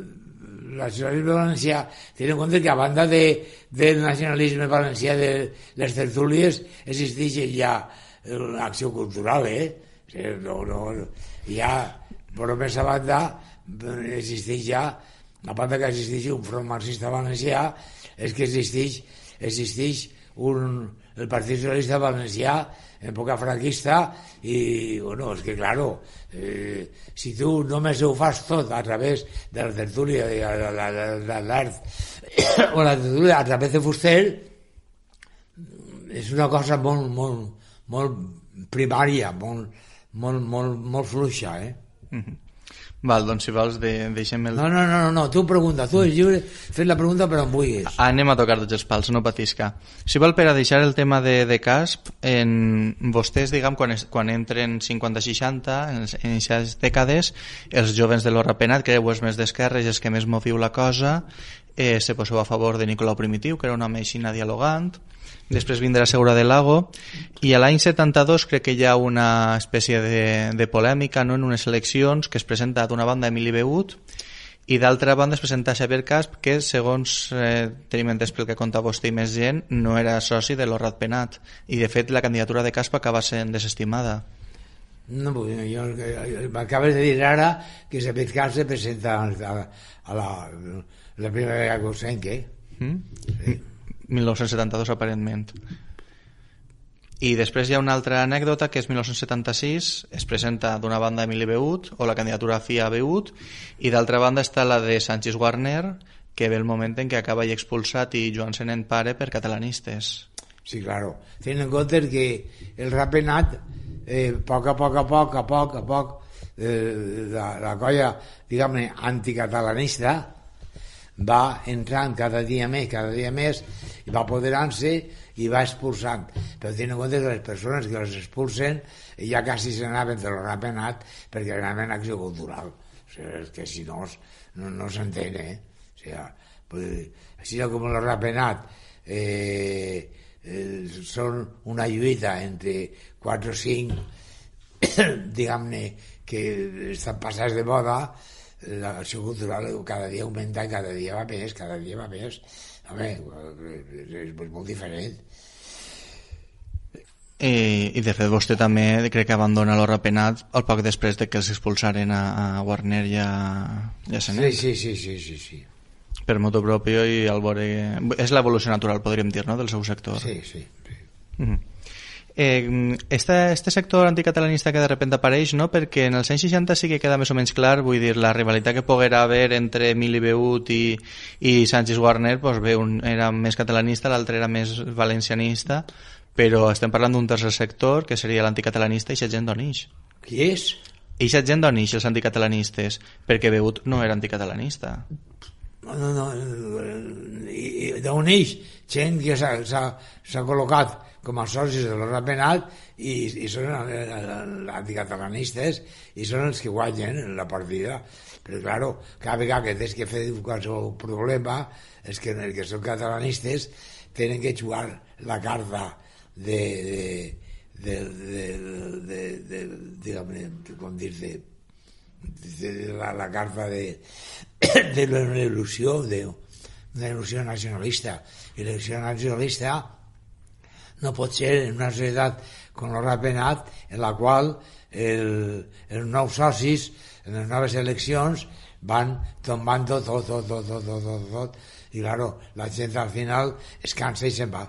Speaker 4: nacionalisme valencià, tenint en compte que a banda del nacionalisme valencià de les tertúlies existeix ja una acció cultural, ja, però més a banda existeix ja, a banda que existeix un front marxista valencià, és que existeix el Partit Socialista Valencià en època franquista i, bueno, és que, claro, si tu només ho fas tot a través de la tertúlia de l'art o la tertúlia a través de Fuster, és una cosa molt primària, molt fluixa,
Speaker 3: Val, doncs si vols deixem el...
Speaker 4: No, tu pregunta, tu és lliure, fes la pregunta però on vulguis.
Speaker 3: Anem a tocar tots els pals, no patisca. Si vol, per a deixar el tema de Casp, vostès, diguem, quan entren 50-60, en aquestes dècades, els jovens de l'Horra Penat, que és més d'esquerres, els que més moviu la cosa, se poseu a favor de Nicolau Primitiu, que era un home aixina dialogant. Després vindrà Segura del Lago i a l'any 72 crec que hi ha una espècie de polèmica, no?, en unes eleccions que es presenta d'una banda Emili Beut i d'altra banda es presenta Xavier Casp, que segons tenim entès pel que conta vostè i més gent, no era soci de l'Horrat Penat i de fet la candidatura de Casp acaba sent desestimada.
Speaker 4: No, m'acabes de dir ara que Xavier Casp se presenta a la primera vegada que ho sent, Sí.
Speaker 3: 1972 aparentment. I després hi ha una altra anècdota que és 1976, es presenta d'una banda Emili Beut o la candidatura FIA Beut i d'altra banda està la de Sánchez Warner, que ve el moment en què acaba i expulsat i Joan Senent pare per catalanistes.
Speaker 4: Sí, claro. Ten en compte que el Rapenat poc a poc, la colla, diguem-ne, anticatalanista va entrant cada dia més i va apoderant-se i va expulsant, però tenint en compte que les persones que les expulsen ja quasi se n'anaven de l'Rapenat perquè anaven a acció cultural, o sigui, és que si no s'entén, o sigui, així com el Rapenat són una lluita entre 4 o 5 diguem-ne que estan passats de moda. L'acció cultural cada dia augmenta i cada dia va més. Home, és molt diferent.
Speaker 3: I de fet vostè també crec que abandona l'Rapenat al poc després de que els expulsaren a Warner i a Senet.
Speaker 4: Sí.
Speaker 3: Per motu propio i al veure... És l'evolució natural, podríem dir, no?, del seu sector.
Speaker 4: Sí.
Speaker 3: Este sector anticatalanista que de repente apareix, no? Perquè en els anys 60 sí que queda més o menys clar, vull dir, la rivalitat que poguera haver entre Emili Beut i Sánchez Warner, doncs bé, un era més catalanista, l'altre era més valencianista, però estem parlant d'un tercer sector que seria l'anticatalanista i aquesta gent d'on ix.
Speaker 4: Qui és?
Speaker 3: I aquesta gent d'on ix, els anticatalanistes, perquè Beut no era anticatalanista.
Speaker 4: No, i d'on ix gent que s'ha col·locat com a socis de l'Rapenat i són anticatalanistes i són els que guanyen la partida, però claro, cada vegada que tens que fer qualsevol problema és que els que són catalanistes tenen que jugar la carta la carta de una il·lusió nacionalista, i l'il·lusió nacionalista no pot ser en una societat com el Rapenat en la qual els nous socis en les noves eleccions van tombant tot i claro, la gent al final es cansa i se'n va.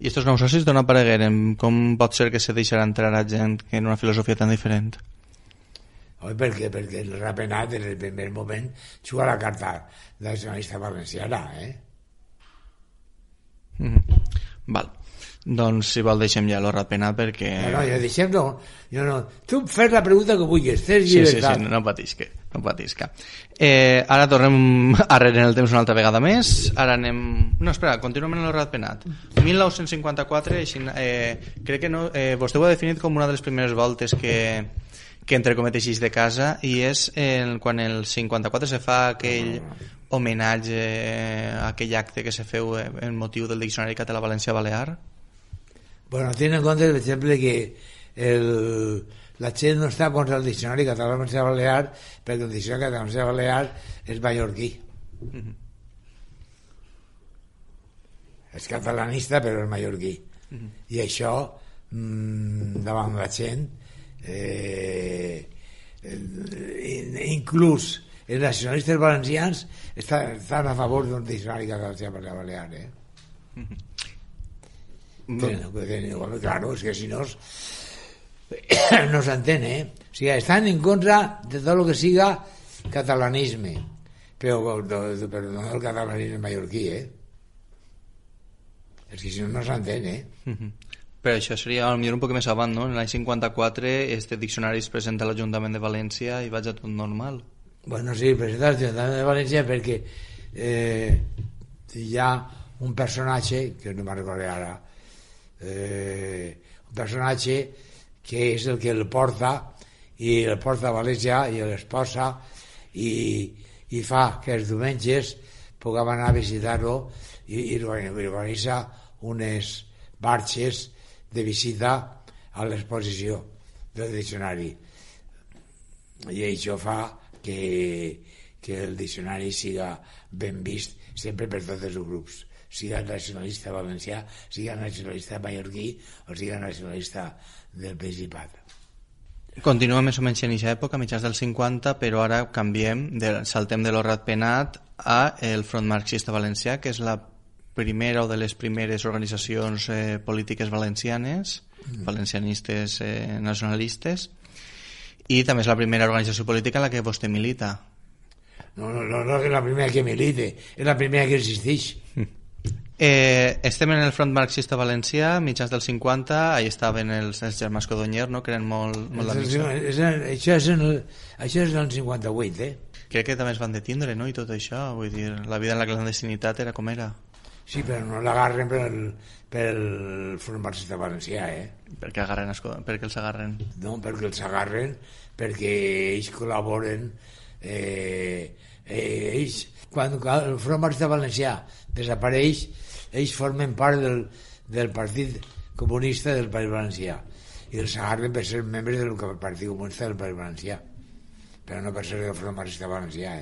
Speaker 3: I estos nous socis d'on aparegueren? Com pot ser que se deixarà entrar a gent que en una filosofia tan diferent?
Speaker 4: Perquè el Rapenat en el primer moment juga la carta nacionalista valenciana,
Speaker 3: Val. Doncs si vol deixem ja el Rapenat perquè...
Speaker 4: No, deixem no. Tu fes la pregunta que vulguis, tens llibertat.
Speaker 3: Sí, no patisca. Ara tornem arrere en el temps una altra vegada més. Ara anem... No, espera, continuem en el Rapenat. 1954, crec que no... vostè ho ha definit com una de les primeres voltes que entre cometes de casa, i és quan el 54 se fa aquell homenatge a aquell acte que se feu en motiu del Diccionari Català-Valencià-Balear.
Speaker 4: Bueno, ten en compte, per exemple, que la gent no està contra el Diccionari Català-Valencià-Balear perquè el Diccionari Català-Valencià-Balear és mallorquí. És catalanista però és mallorquí. I això davant la gent inclús els nacionalistes valencians estan a favor d'un diccionari català-balear, claro, és que si no s'entén, o sigui, estan en contra de tot el que siga catalanisme, però no el catalanisme mallorquí, és que si no s'entén,
Speaker 3: Però això seria potser un poc més avant, no? En l'any 54 este diccionari es presenta a l'Ajuntament de València i vaig a tot normal.
Speaker 4: Bueno, sí, presenta a l'Ajuntament de València perquè hi ha un personatge, que no me'n recordo ara, un personatge que és el que el porta a València i l'esposa i fa que els diumenges puguem anar a visitar-lo i organitza unes marxes de visita a l'exposició del diccionari, i això fa que el diccionari siga ben vist sempre per tots els grups, siga nacionalista valencià, siga nacionalista mallorquí o siga nacionalista del Principat.
Speaker 3: Continua més o menys en aquesta època, mitjans dels 50, però ara canviem, saltem de l'Rapenat a el Front Marxista Valencià, que és la primera o de les primeres organitzacions polítiques valencianes, valencianistes nacionalistes, i també és la primera organització política en la que vostè milita.
Speaker 4: No és la primera que milite, és la primera que existeix.
Speaker 3: Estem en el front marxista valencià, mitjans dels 50, ahí estaven els germans Codonyer, no? Que eren molt d'amics.
Speaker 4: Això és en el 58,
Speaker 3: Crec que també es van detindre, no? I tot això, vull dir, la vida en la clandestinitat era com era.
Speaker 4: Sí, però no l'agarren pel front marxista valencià,
Speaker 3: Per què els agarren?
Speaker 4: No, perquè els agarren, perquè ells col·laboren, ells, quan el front marxista valencià desapareix, ells formen part del Partit Comunista del País Valencià i els agarren per ser membres del Partit Comunista del País Valencià, però no per ser del front marxista valencià,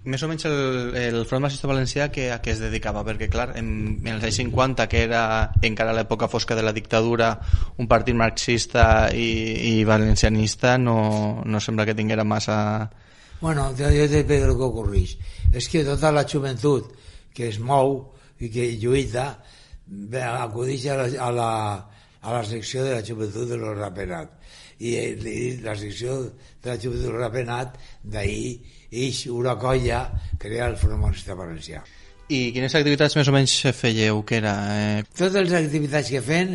Speaker 3: Més o menys el front marxista valencià a què es dedicava? Perquè clar, en els anys 50, que era encara l'època fosca de la dictadura, un partit marxista i valencianista no sembla que tinguera massa...
Speaker 4: Bueno, jo te dic el que ocorreix. És que tota la joventut que es mou i que lluita acudeix a la secció de la joventut de los Rapenat. I la secció de la joventut de los Rapenat, d'ahir ix una colla crea el Front Marxista Valencià.
Speaker 3: I quines activitats més o menys fèieu? Què era?
Speaker 4: Totes les activitats que fem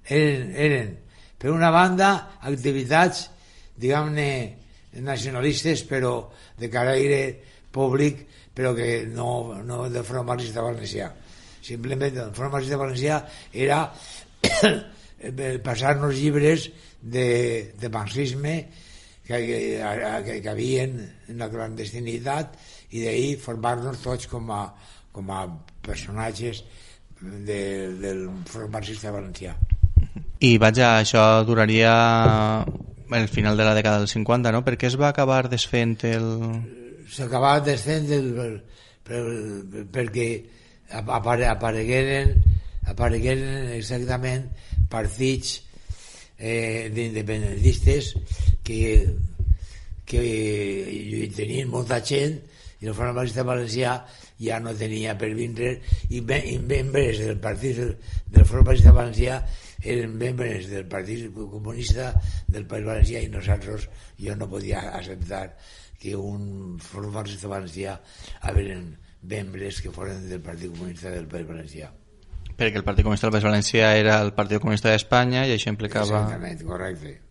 Speaker 4: eren per una banda, activitats, diguem-ne, nacionalistes, però de caire públic, però que no del Front Marxista Valencià. Simplement el Front Marxista Valencià era passar-nos llibres de marxisme que havien en la clandestinitat i d'ahir formar-nos tots com a personatges del Front Marxista Valencià.
Speaker 3: I vaja, això duraria el final de la dècada dels 50, no? Per què es va acabar desfent
Speaker 4: S'acabava desfent perquè aparegueren exactament partits d'independentistes que tenien molta gent i el Front Marxista Valencià ja no tenia per vindre i membres del partit del Front Marxista Valencià eren membres del Partit Comunista del País Valencià i jo no podia acceptar que un Front Marxista Valencià eren membres que foren del Partit Comunista del País Valencià.
Speaker 3: Perquè el Partit Comunista del País Valencià era el Partit Comunista d'Espanya i això implicava...
Speaker 4: Exactament, correcte.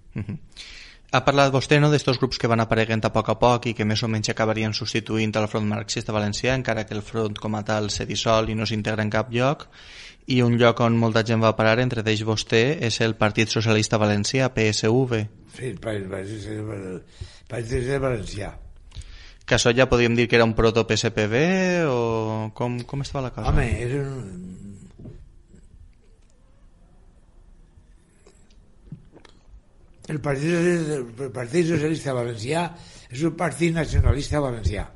Speaker 3: Ha parlat vostè, no, d'estos grups que van apareguent a poc i que més o menys acabarien substituint al Front Marxista Valencià, encara que el front com a tal se dissol i no s'integra en cap lloc, i un lloc on molta gent va parar, entre ells vostè, és el Partit Socialista Valencià, PSV.
Speaker 4: Sí, el Partit Socialista Valencià.
Speaker 3: Que això ja podríem dir que era un proto-PSPV o com estava la cosa?
Speaker 4: Home, el Partit Socialista Valencià és un partit nacionalista valencià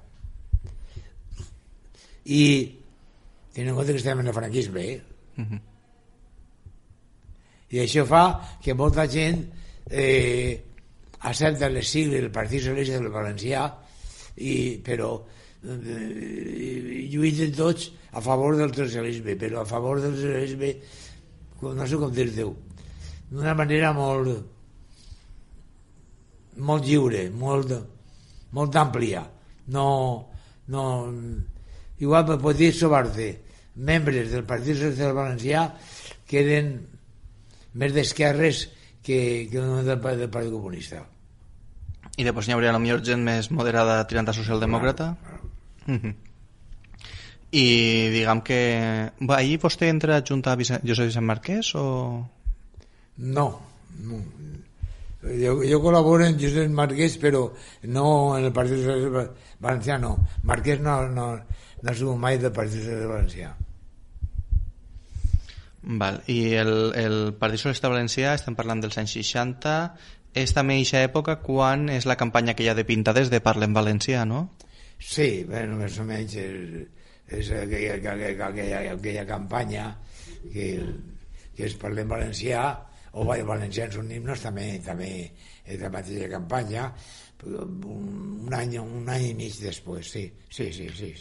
Speaker 4: i tenint en compte que estem en el franquisme i això fa que molta gent accepta les sigles del Partit Socialista del Valencià però lluiten tots a favor del socialisme, però a favor del socialisme no sé com dir-ho, d'una manera molt lliure, molt àmplia. Igual me pot dir sobre membres del Partit Socialista Valencià que eren més d'esquerres que del Partit Comunista.
Speaker 3: I després n'hi hauria potser gent més moderada tirant a socialdemòcrata? I diguem que... ahir vostè entra adjunt a Josep Vicent Marquès o...?
Speaker 4: No. Jo col·laboro en Josep Marquès, però no en el Partit Socialista Valencià, no. Marquès no ha sigut mai del Partit Socialista Valencià.
Speaker 3: Val. I el Partit Socialista Valencià, estem parlant dels anys 60, és també eixa època quan és la campanya que hi ha de pintades de Parlem Valencià, no?
Speaker 4: Sí, bueno, més o menys és aquella campanya que és Parlem Valencià, o Valencians Units també és la mateixa campanya, un any i mig després, sí.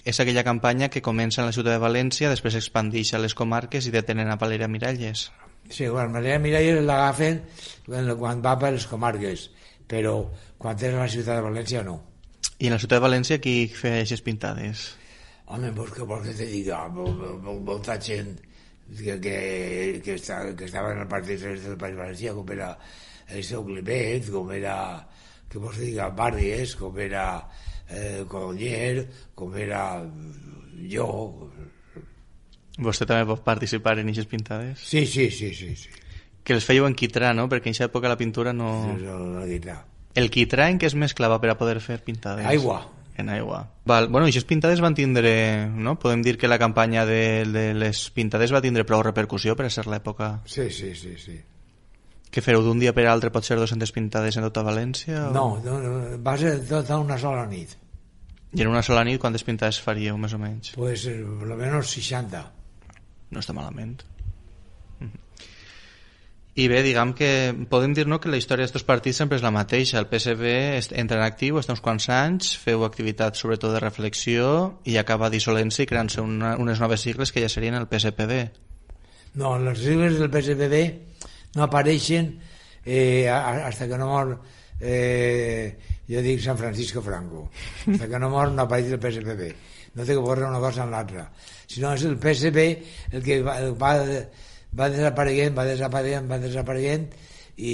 Speaker 3: És aquella campanya que comença en la ciutat de València, després s'expandeix a les comarques i detenen a Valeria Miralles.
Speaker 4: Sí, bueno, Valeria Miralles l'agafen quan va per les comarques, però quan és a la ciutat de València no.
Speaker 3: I en la ciutat de València qui feia aquestes pintades?
Speaker 4: Home, pues què vols que te diga? Molta gent que estava en el Partit Socialista del País Valencià, com era el seu Climent, com era, què vols que diga, Barries, com era Colonyer, com era jo.
Speaker 3: Vostè també pot participar en aquestes pintades?
Speaker 4: Sí.
Speaker 3: Que les fèieu en quitrà, no? Perquè en aquesta època la pintura no...
Speaker 4: La quitrà.
Speaker 3: El quitrà en què es mesclava per a poder fer pintades?
Speaker 4: Aigua.
Speaker 3: En aigua. Val. Bueno, aquestes pintades van tindre... No? Podem dir que la campanya de les pintades va tindre prou repercussió per a ser l'època...
Speaker 4: Sí.
Speaker 3: Què fareu d'un dia per altre? Pot ser 200 pintades en tota València? O...
Speaker 4: No, va ser tota una sola nit.
Speaker 3: I en una sola nit quantes pintades faríeu, més o menys?
Speaker 4: Pues, lo menos 60.
Speaker 3: No està malament. I bé, diguem que podem dir, no, que la història d'aquests partits sempre és la mateixa. El PSB entra en actiu, està uns quants anys, feu activitat sobretot de reflexió i acaba dissolent-se i creant-se unes noves sigles que ja serien el PSPB.
Speaker 4: No, les sigles del PSPB no apareixen hasta que no mor jo dic San Francisco Franco. Hasta que no mor no apareix el PSPB. No té que veure una cosa amb l'altra. Sinó és el PSB el que va desapareguent i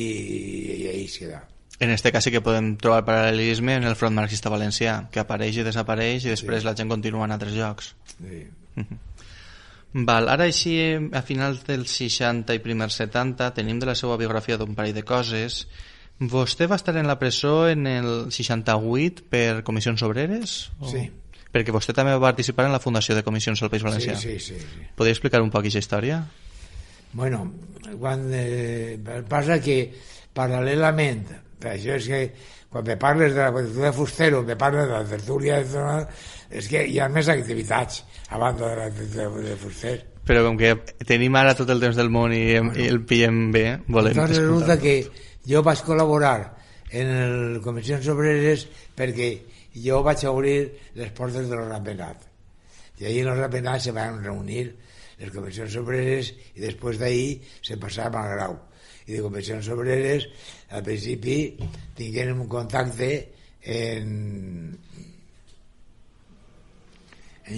Speaker 4: ahí es queda.
Speaker 3: En este cas sí que podem trobar paral·lelisme en el Front Marxista Valencià, que apareix i desapareix i després la gent continua en altres llocs.
Speaker 4: Sí.
Speaker 3: Val, ara així, a finals dels 60 i primers 70, tenim de la seva biografia d'un parell de coses. Vostè va estar en la presó en el 68 per comissions obreres? O...
Speaker 4: Sí.
Speaker 3: Perquè vostè també va participar en la fundació de comissions al País Valencià.
Speaker 4: Sí.
Speaker 3: Podria explicar un poc aquesta història?
Speaker 4: Bueno, quan passa que paral·lelament, per això és que quan me parles de la tertúlia de Fustero, me parles de la tertúlia de... és que hi ha més activitats a banda de la tertúlia de Fuster.
Speaker 3: Però com que tenim ara tot el temps del món i el pillem bé, volem
Speaker 4: escoltar-lo. Entonces resulta que jo vaig col·laborar en les comissions obreres perquè jo vaig obrir les portes de l'Ordenat. I ahí en l'Ordenat se van reunir les comissions obreres i després d'ahí se passava al grau. I de comissions obreres al principi tingueren un contacte en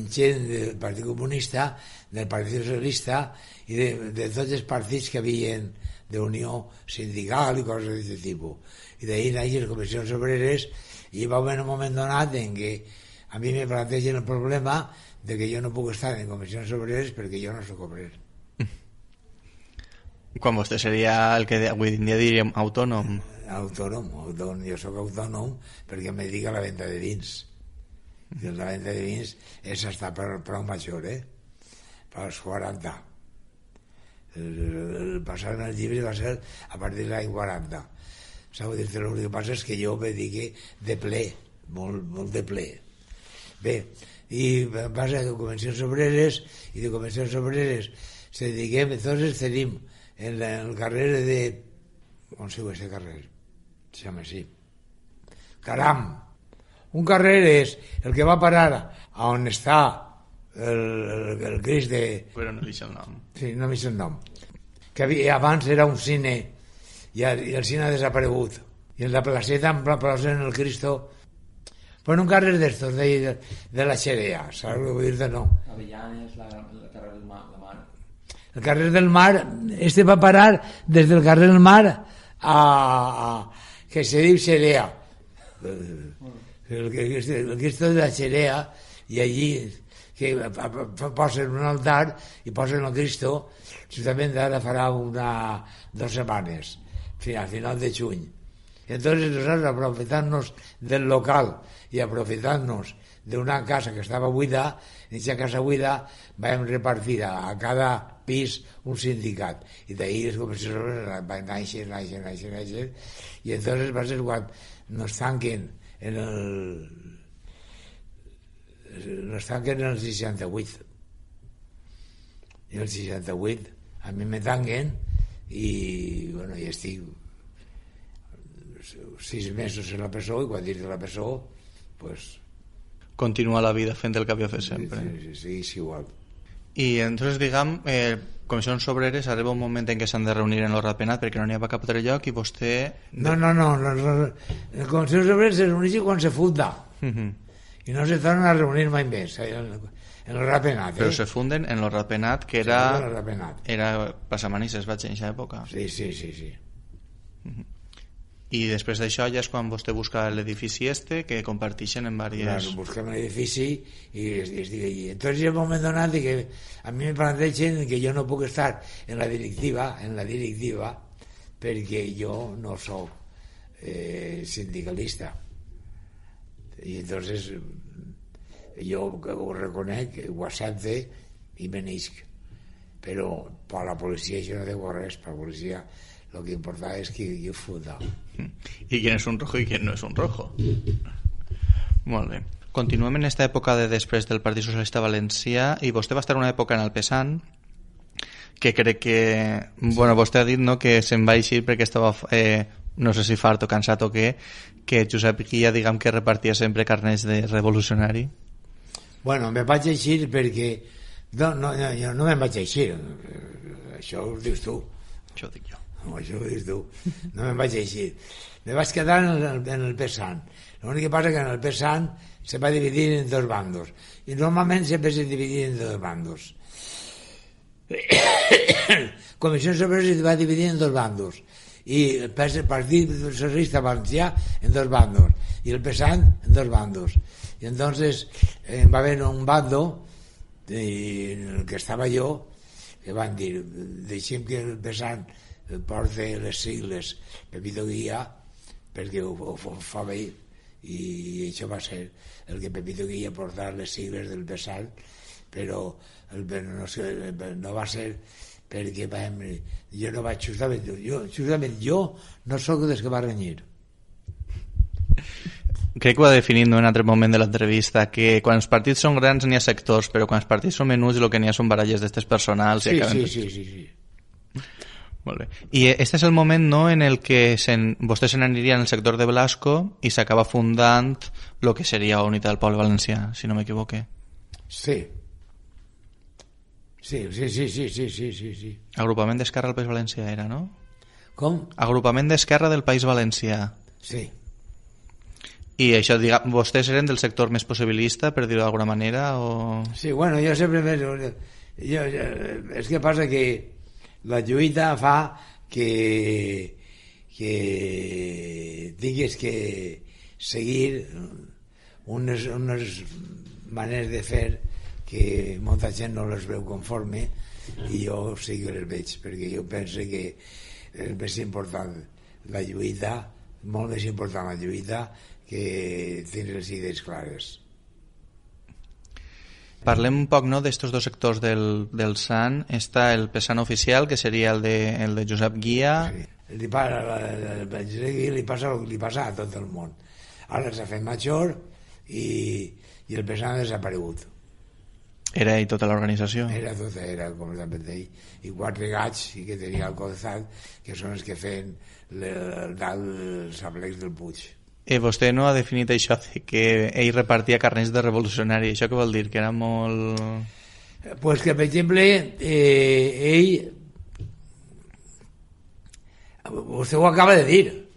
Speaker 4: gent del Partit Comunista, del Partit Socialista i de tots els partits que havien d'unió sindical i coses d'aquest tipus. I d'ahí naixen les comissions obreres i va haver un moment donat en què a mi me plantegen el problema de que jo no puc estar en comissions obreres perquè jo no soc obrer.
Speaker 3: Quan vostè seria el que avui en dia diríem autònom.
Speaker 4: Autònom, jo soc autònom perquè em dedico a la venda de vins. I la venda de vins és hasta prou major, per als 40. El passar en el llibre va ser a partir de l'any 40. Sabeu dir-te, el que passa és que jo me dedique de ple, molt de ple. Bé, i passa que convencions obreres i de convencions obreres se dediquem, entonces tenim en el carrer de... on se diu aquest carrer? Se llama així. Caram! Un carrer és el que va parar a on està el Crist de...
Speaker 3: Però no deixa el nom.
Speaker 4: Sí, no deixa el nom. Que abans era un cine i el cine ha desaparegut. I en la placeta en plaça el Cristo... Bueno, un carrer d'estos, de la Xerea, saps què vull dir-te? No.
Speaker 5: Avellanes, el carrer del Mar.
Speaker 4: El carrer del Mar, va parar des del carrer del Mar a que se diu Xerea. El Cristo de la Xerea, i allí que posen un altar i posen el Cristo, justament ara farà 2 setmanes, a final de juny. Entonces nosotros, aprovechándonos del local y aprovechándonos de una casa que estaba buida, en esa casa buida vam repartir a cada pis un sindicat i d'ahir les comissions van néixer i entonces va ser quan nos tanquen en el 68 i el 68 a mi me tanquen i bueno, ja estic 6 mesos en la presó i quan dic de la presó pues
Speaker 3: continua la vida fent el que havia fet sempre.
Speaker 4: Sí, és igual.
Speaker 3: I entonces, diguem, comissions obreres arriba un moment en què s'han de reunir en l'hora penat perquè no n'hi ha cap altre lloc i vostè...
Speaker 4: No. Les comissions obreres es reuneixen quan se funda. i no se tornen a reunir mai més en el Ratpenat.
Speaker 3: Però se funden en el Ratpenat, que era passamanís, vaig en aquesta època.
Speaker 4: Sí.
Speaker 3: I després d'això ja és quan vostè busca l'edifici que comparteixen en diverses...
Speaker 4: Claro, busquem l'edifici i entonces en un moment donat que a mi me plantegen que jo no puc estar en la directiva perquè jo no soc sindicalista, i entonces jo ho reconec, ho accepte i me n'isc, però per la policia això no diu res. Per la policia lo que importa es que yo funda.
Speaker 3: ¿Y quién es un rojo y quién no es un rojo? Molt bé. Continuem en esta època de després del Partit Socialista Valencià, i vostè va estar una època en el PSAN, que crec que... Bueno, vostè ha dit, no?, que se'n va eixir perquè estava, no sé si fart o cansat o què, que Josep Guia, diguem, que repartia sempre carnets de revolucionari.
Speaker 4: Bueno, me vaig eixir perquè... No me'n vaig eixir. Això ho dius tu.
Speaker 3: Això ho dic jo.
Speaker 4: Això ho dius tu. No me'n vaig eixir. Me vaig quedar en el PSAN. L'únic que passa que en el PSAN se va dividir en dos bandos. I normalment sempre se dividia en dos bandos. Comissió Obrera se va dividir en dos bandos. I el Partit Socialista Valencià en dos bandos. I el PSAN en dos bandos. I entonces va haver un bando en el que estava jo, que van dir, deixem que el PSAN porta les sigles Pepito Guia perquè ho fa bé, i això va ser el que Pepito Guia portar les sigles del PSAN, però no va ser perquè jo no vaig justament jo no sóc dels que va renyir.
Speaker 3: Crec que ho ha definit en un altre moment de l'entrevista, que quan els partits són grans n'hi ha sectors, però quan els partits són menuts el que n'hi ha són baralles d'estes personals.
Speaker 4: Sí.
Speaker 3: Molt bé. I este és el moment, no?, en el que vostè se n'aniria en el sector de Blasco i s'acaba fundant el que seria Unitat del Poble Valencià, si no m'equivoque.
Speaker 4: Sí.
Speaker 3: Agrupament d'Esquerra del País Valencià era, no?
Speaker 4: Com?
Speaker 3: Agrupament d'Esquerra del País Valencià.
Speaker 4: Sí.
Speaker 3: I això, vostès eren del sector més possibilista, per dir-ho d'alguna manera, o...?
Speaker 4: Sí, bueno, jo sempre... És que passa que la lluita fa que tinguis que seguir unes maneres de fer que molta gent no les veu conforme, i jo sí que les veig, perquè jo penso que és més important la lluita, molt més important la lluita, que tindre les idees clares.
Speaker 3: Parlem un poc, no, d'estos dos sectors del SAN. Està el PSAN oficial, que seria el de Josep Guia.
Speaker 4: Sí. Li passa a tot el món. Ara s'ha fet major i el PSAN ha desaparegut.
Speaker 3: Era ell tota l'organització?
Speaker 4: Era completament ell. I 4 gats que tenia al costat, que són els que feien els aplecs del Puig.
Speaker 3: Vostè no ha definit això de que ell repartia carnets de revolucionari. Això què vol dir? Que era molt...
Speaker 4: Pues que, per exemple, ell... Vostè ho acaba de dir.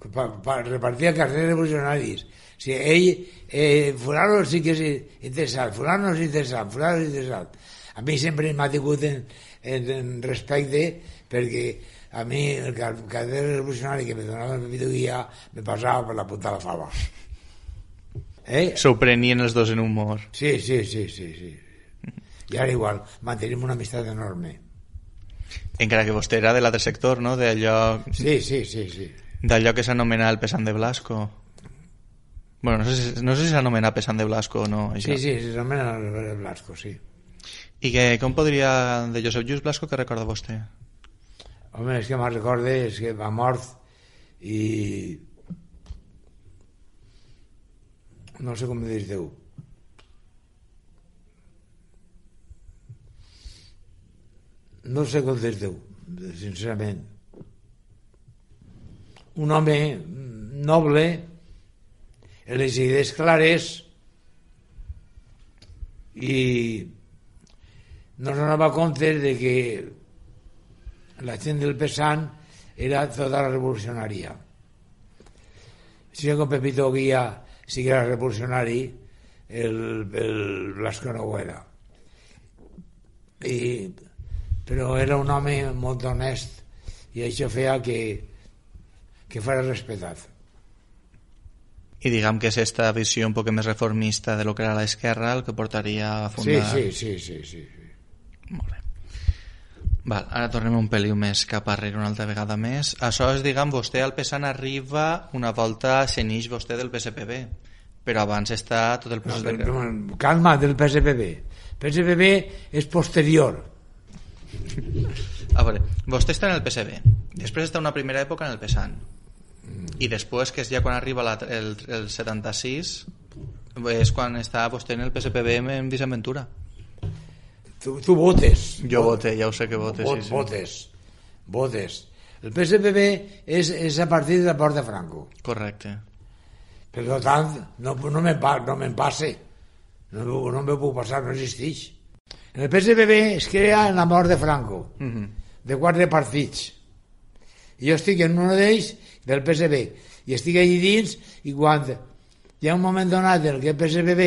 Speaker 4: Repartia carnets revolucionaris. O sigui, ell... fulano sí que és interessant, fulano és interessant. A mi sempre m'ha tingut en respecte, perquè a mi el carnet revolucionari que me donava el Pepito Guia me passava per la punta de la fava.
Speaker 3: S'ho prenien els dos en humor.
Speaker 4: Sí. I ara igual, mantenim una amistat enorme.
Speaker 3: Encara que vostè era de l'altre sector, no? D'allò...
Speaker 4: Sí.
Speaker 3: D'allò que s'anomena el Pesant de Blasco. Bueno, no sé si s'anomena Pesant de Blasco o no. Això.
Speaker 4: Sí, s'anomena el Blasco, sí.
Speaker 3: I com podria, de Josep Lluís Blasco, què recorda vostè?
Speaker 4: Home, és que me'n recorde, és que va mort i... no sé com dir-te-ho. No sé com dir-te-ho, sincerament. Un home noble, en les idees clares, i no se donava compte de que la gent del PSAN era tota la revolucionària. Si com Pepito Guia sí que era revolucionari, el Blasco Noguera. Però era un home molt honest i això feia que fos respectat.
Speaker 3: I diguem que és esta visió un poc més reformista de lo que era l'esquerra el que portaria a fundar...
Speaker 4: Sí.
Speaker 3: Molt bé. Val, ara tornem un peliu més cap arrere una altra vegada més. Això és, diguem, vostè al PSAN arriba una volta s'enix vostè del PSPB, però abans està tot el procés de...
Speaker 4: Calma, del PSPB. PSPB és posterior.
Speaker 3: A veure, vostè està en el PSB, després està una primera època en el PSAN, i després, que és ja quan arriba el 76, és quan està vostè en el PSPB en Vicent Ventura.
Speaker 4: Tu votes.
Speaker 3: Jo vote, ja ho sé que votes.
Speaker 4: Votes. El PSPB és a partir de la mort de Franco.
Speaker 3: Correcte.
Speaker 4: Per tant, no me'n passe. No me puc passar, no existeix. En el PSPB es crea en la mort de Franco, de 4 partits. I jo estic en un d'ells del PSB, i estic allí dins, i quan hi ha un moment donat en què el PSPB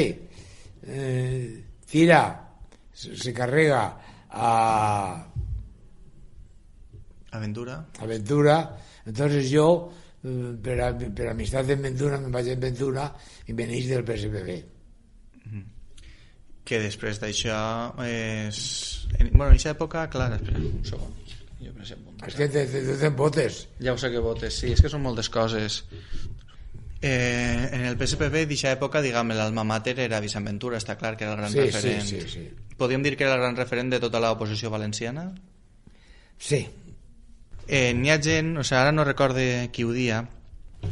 Speaker 4: se carrega a
Speaker 3: Ventura,
Speaker 4: entonces jo per amistat de Ventura me'n vaig a Ventura i veneix del PSPB.
Speaker 3: Que després d'això és... Bueno, en aquesta època, clar, espera un segon.
Speaker 4: És que tu te'n votes.
Speaker 3: Ja ho sé que votes, sí, és que són moltes coses. En el PSPB d'aquesta època, diguem, l'alma mater era Vicent Ventura, està clar que era el gran referent.
Speaker 4: Sí.
Speaker 3: Podríem dir que era el gran referent de tota l'oposició valenciana?
Speaker 4: Sí.
Speaker 3: N'hi ha gent, o sigui, ara no recorde qui ho dia,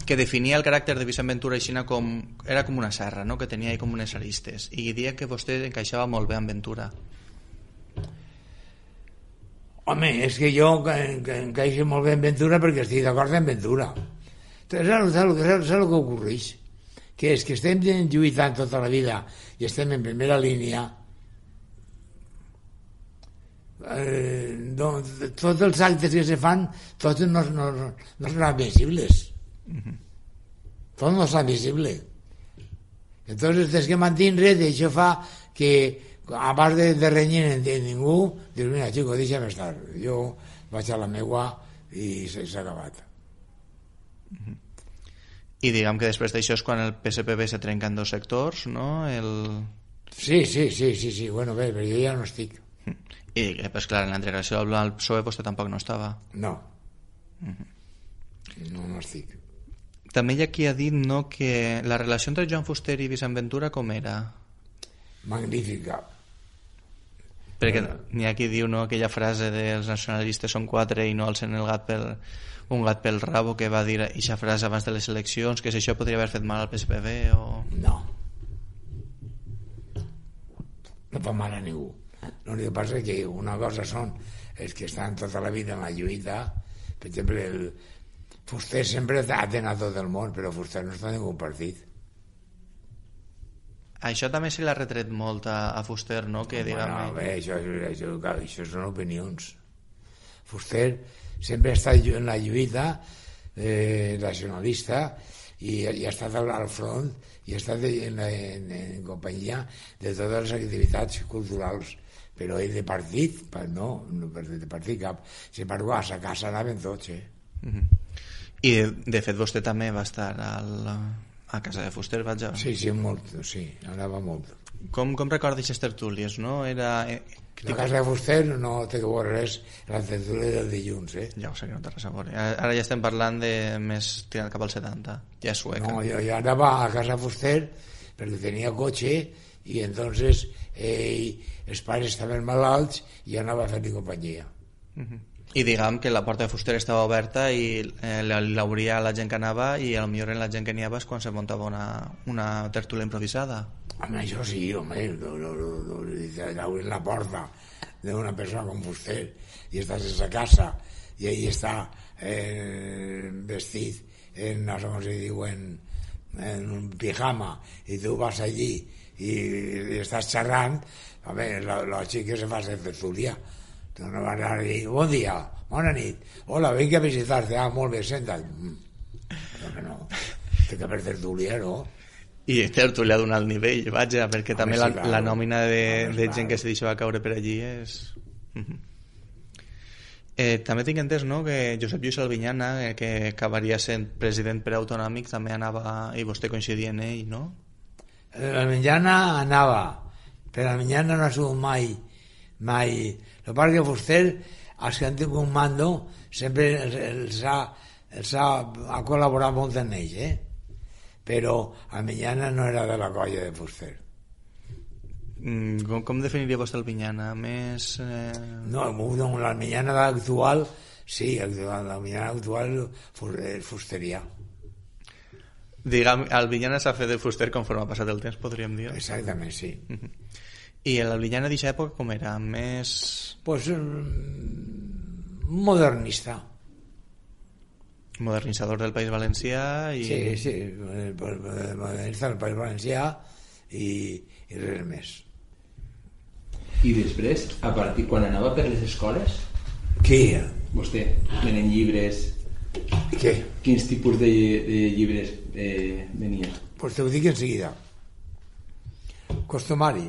Speaker 3: que definia el caràcter de Vicent Ventura aixina com... Era com una serra, no?, que tenia com unes aristes, i dia que vostè encaixava molt bé amb Ventura.
Speaker 4: Home, és que jo encaixo molt bé en Ventura perquè estic d'acord amb Ventura. Saps el que ocorreix? Que és que estem lluitant tota la vida i estem en primera línia. Tots els actes que se fan, tots no són admissibles. Tot no és admissible. Entonces tens que mantindre't, i això fa que a part de renyir en ningú, dius, mira, xico, deixa'm estar, jo vaig a la meua i s'ha acabat.
Speaker 3: I diguem que després d'això és quan el PSPB se trenca en 2 sectors, no?
Speaker 4: Sí, bueno, bé, però jo ja no estic.
Speaker 3: I, pues clar, en la integració al PSOE vostè tampoc no estava.
Speaker 4: No. No estic.
Speaker 3: També hi ha qui ha dit, no, que la relació entre Joan Fuster i Vicent Ventura com era?
Speaker 4: Magnífica.
Speaker 3: Perquè n'hi ha qui diu, no, aquella frase dels nacionalistes són 4 i no alcen un gat pel rabo, que va dir aquesta frase abans de les eleccions, que si això podria haver fet mal al PSPB o...
Speaker 4: No fa mal a ningú. L'únic que passa és que una cosa són els que estan tota la vida en la lluita. Per exemple, el Fuster sempre ha tenat tot el món, però Fuster no està en ningú partit.
Speaker 3: Això també se l'ha retret molt a Fuster, no? Que,
Speaker 4: bueno, bé, això són opinions. Fuster sempre ha estat en la lluita nacionalista i ha estat al front i ha estat en companyia de totes les activitats culturals, però ell de partit no de partit cap. Si per a sa casa anaven tots,
Speaker 3: I de fet vostè també va estar a casa de Fuster, vaja.
Speaker 4: Sí, molt, sí, anava molt.
Speaker 3: Com recorda aquestes tertúlies, no?
Speaker 4: La casa de Fuster no té que veure res, la tertúlia del dilluns,
Speaker 3: Ja ho sé que no té res a veure. Ara ja estem parlant de més tirant cap al 70, ja és sueca.
Speaker 4: No, jo anava a casa de Fuster perquè tenia cotxe i entonces els pares estaven malalts i anava a fer-li companyia.
Speaker 3: I diguem que la porta de Fuster estava oberta i l'obria la gent que anava i potser en la gent que n'hi havia és quan se muntava una tertúlia improvisada.
Speaker 4: Home, això sí, home, obrir la porta d'una persona com Fuster i estàs a sa casa i ell està vestit en, no sé com se diu, en un pijama i tu vas allí i estàs xerrant, home, lògic que se fa ser tertúlia. Tu no vas anar a dir, bon dia, bona nit, hola, vinc a visitar-te, molt bé, senta't. No, té que haver tertúlia, no?
Speaker 3: I tertúlia d'un alt nivell, vaja, perquè també
Speaker 4: sí, clar.
Speaker 3: la nòmina de
Speaker 4: Home,
Speaker 3: gent que se deixava caure per allí és... També tinc entès, no?, que Josep Lluís Albinyana, que acabaria sent president preautonòmic, també anava, i vostè coincidia en ell, no?
Speaker 4: Albinyana anava, però Albinyana no ha sigut mai. El que passa que Fuster, els que han tingut un mando, sempre els ha col·laborat molt en ells, però Albinyana no era de la colla de Fuster.
Speaker 3: Com definiria vostè Albinyana? Més...
Speaker 4: No, l'Albinyana actual, sí, l'Albinyana actual és fusterià.
Speaker 3: Diguem, Albinyana s'ha fet de Fuster conforme ha passat el temps, podríem dir.
Speaker 4: Exactament, sí.
Speaker 3: I l'Albinyana d'aquesta època com era? Més...
Speaker 4: Pues modernista.
Speaker 3: Modernitzador del País Valencià i...
Speaker 4: Sí, modernista del País Valencià i res més.
Speaker 5: I després, a partir quan anava per les escoles,
Speaker 4: Qui?
Speaker 5: vostè, venent llibres,
Speaker 4: Què?
Speaker 5: quins tipus de llibres venia?
Speaker 4: Pues te ho dic en seguida. Costumari,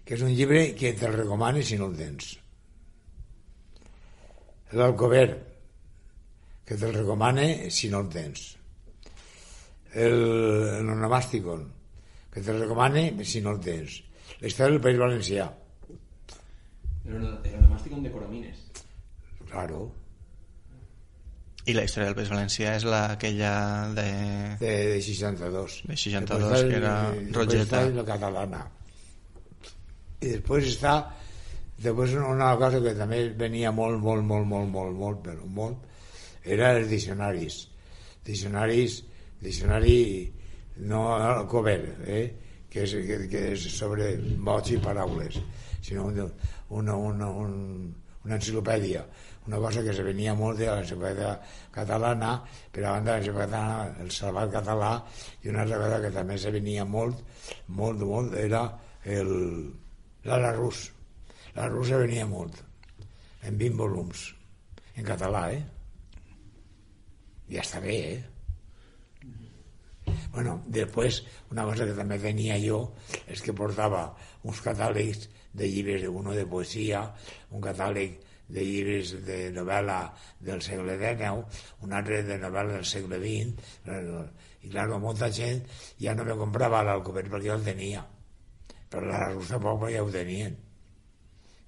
Speaker 4: que és un llibre que te'l recomano si no el tens. L'Alcover, que te'l recomane si no el tens. El Onomàsticon, que te'l recomane si no el tens. La història del País Valencià.
Speaker 5: Era un màstic de Coromines.
Speaker 4: Claro.
Speaker 3: I la història del País Valencià és aquella de
Speaker 4: 62.
Speaker 3: De 62, que era Rogeta.
Speaker 4: La catalana. I després està una cosa que també venia molt, però molt, era els diccionaris. Diccionari no el cover, que és sobre mots i paraules, sinó una enciclopèdia, una cosa que se venia molt de l'enciclopèdia catalana, però a banda de l'enciclopèdia catalana, el Salvat Català, i una altra cosa que també se venia molt, era l'Arús. L'Arús se venia molt, en 20 volums, en català, Ja està bé, Bueno, després, una cosa que també tenia jo és que portava uns catàlegs de llibres, uno de poesia, un catàleg de llibres de novel·la del segle XIX, un altre de novel·la del segle XX, i clar, molta gent ja no me comprava l'Alcover perquè jo el tenia, però la Russa Poble ja ho tenien.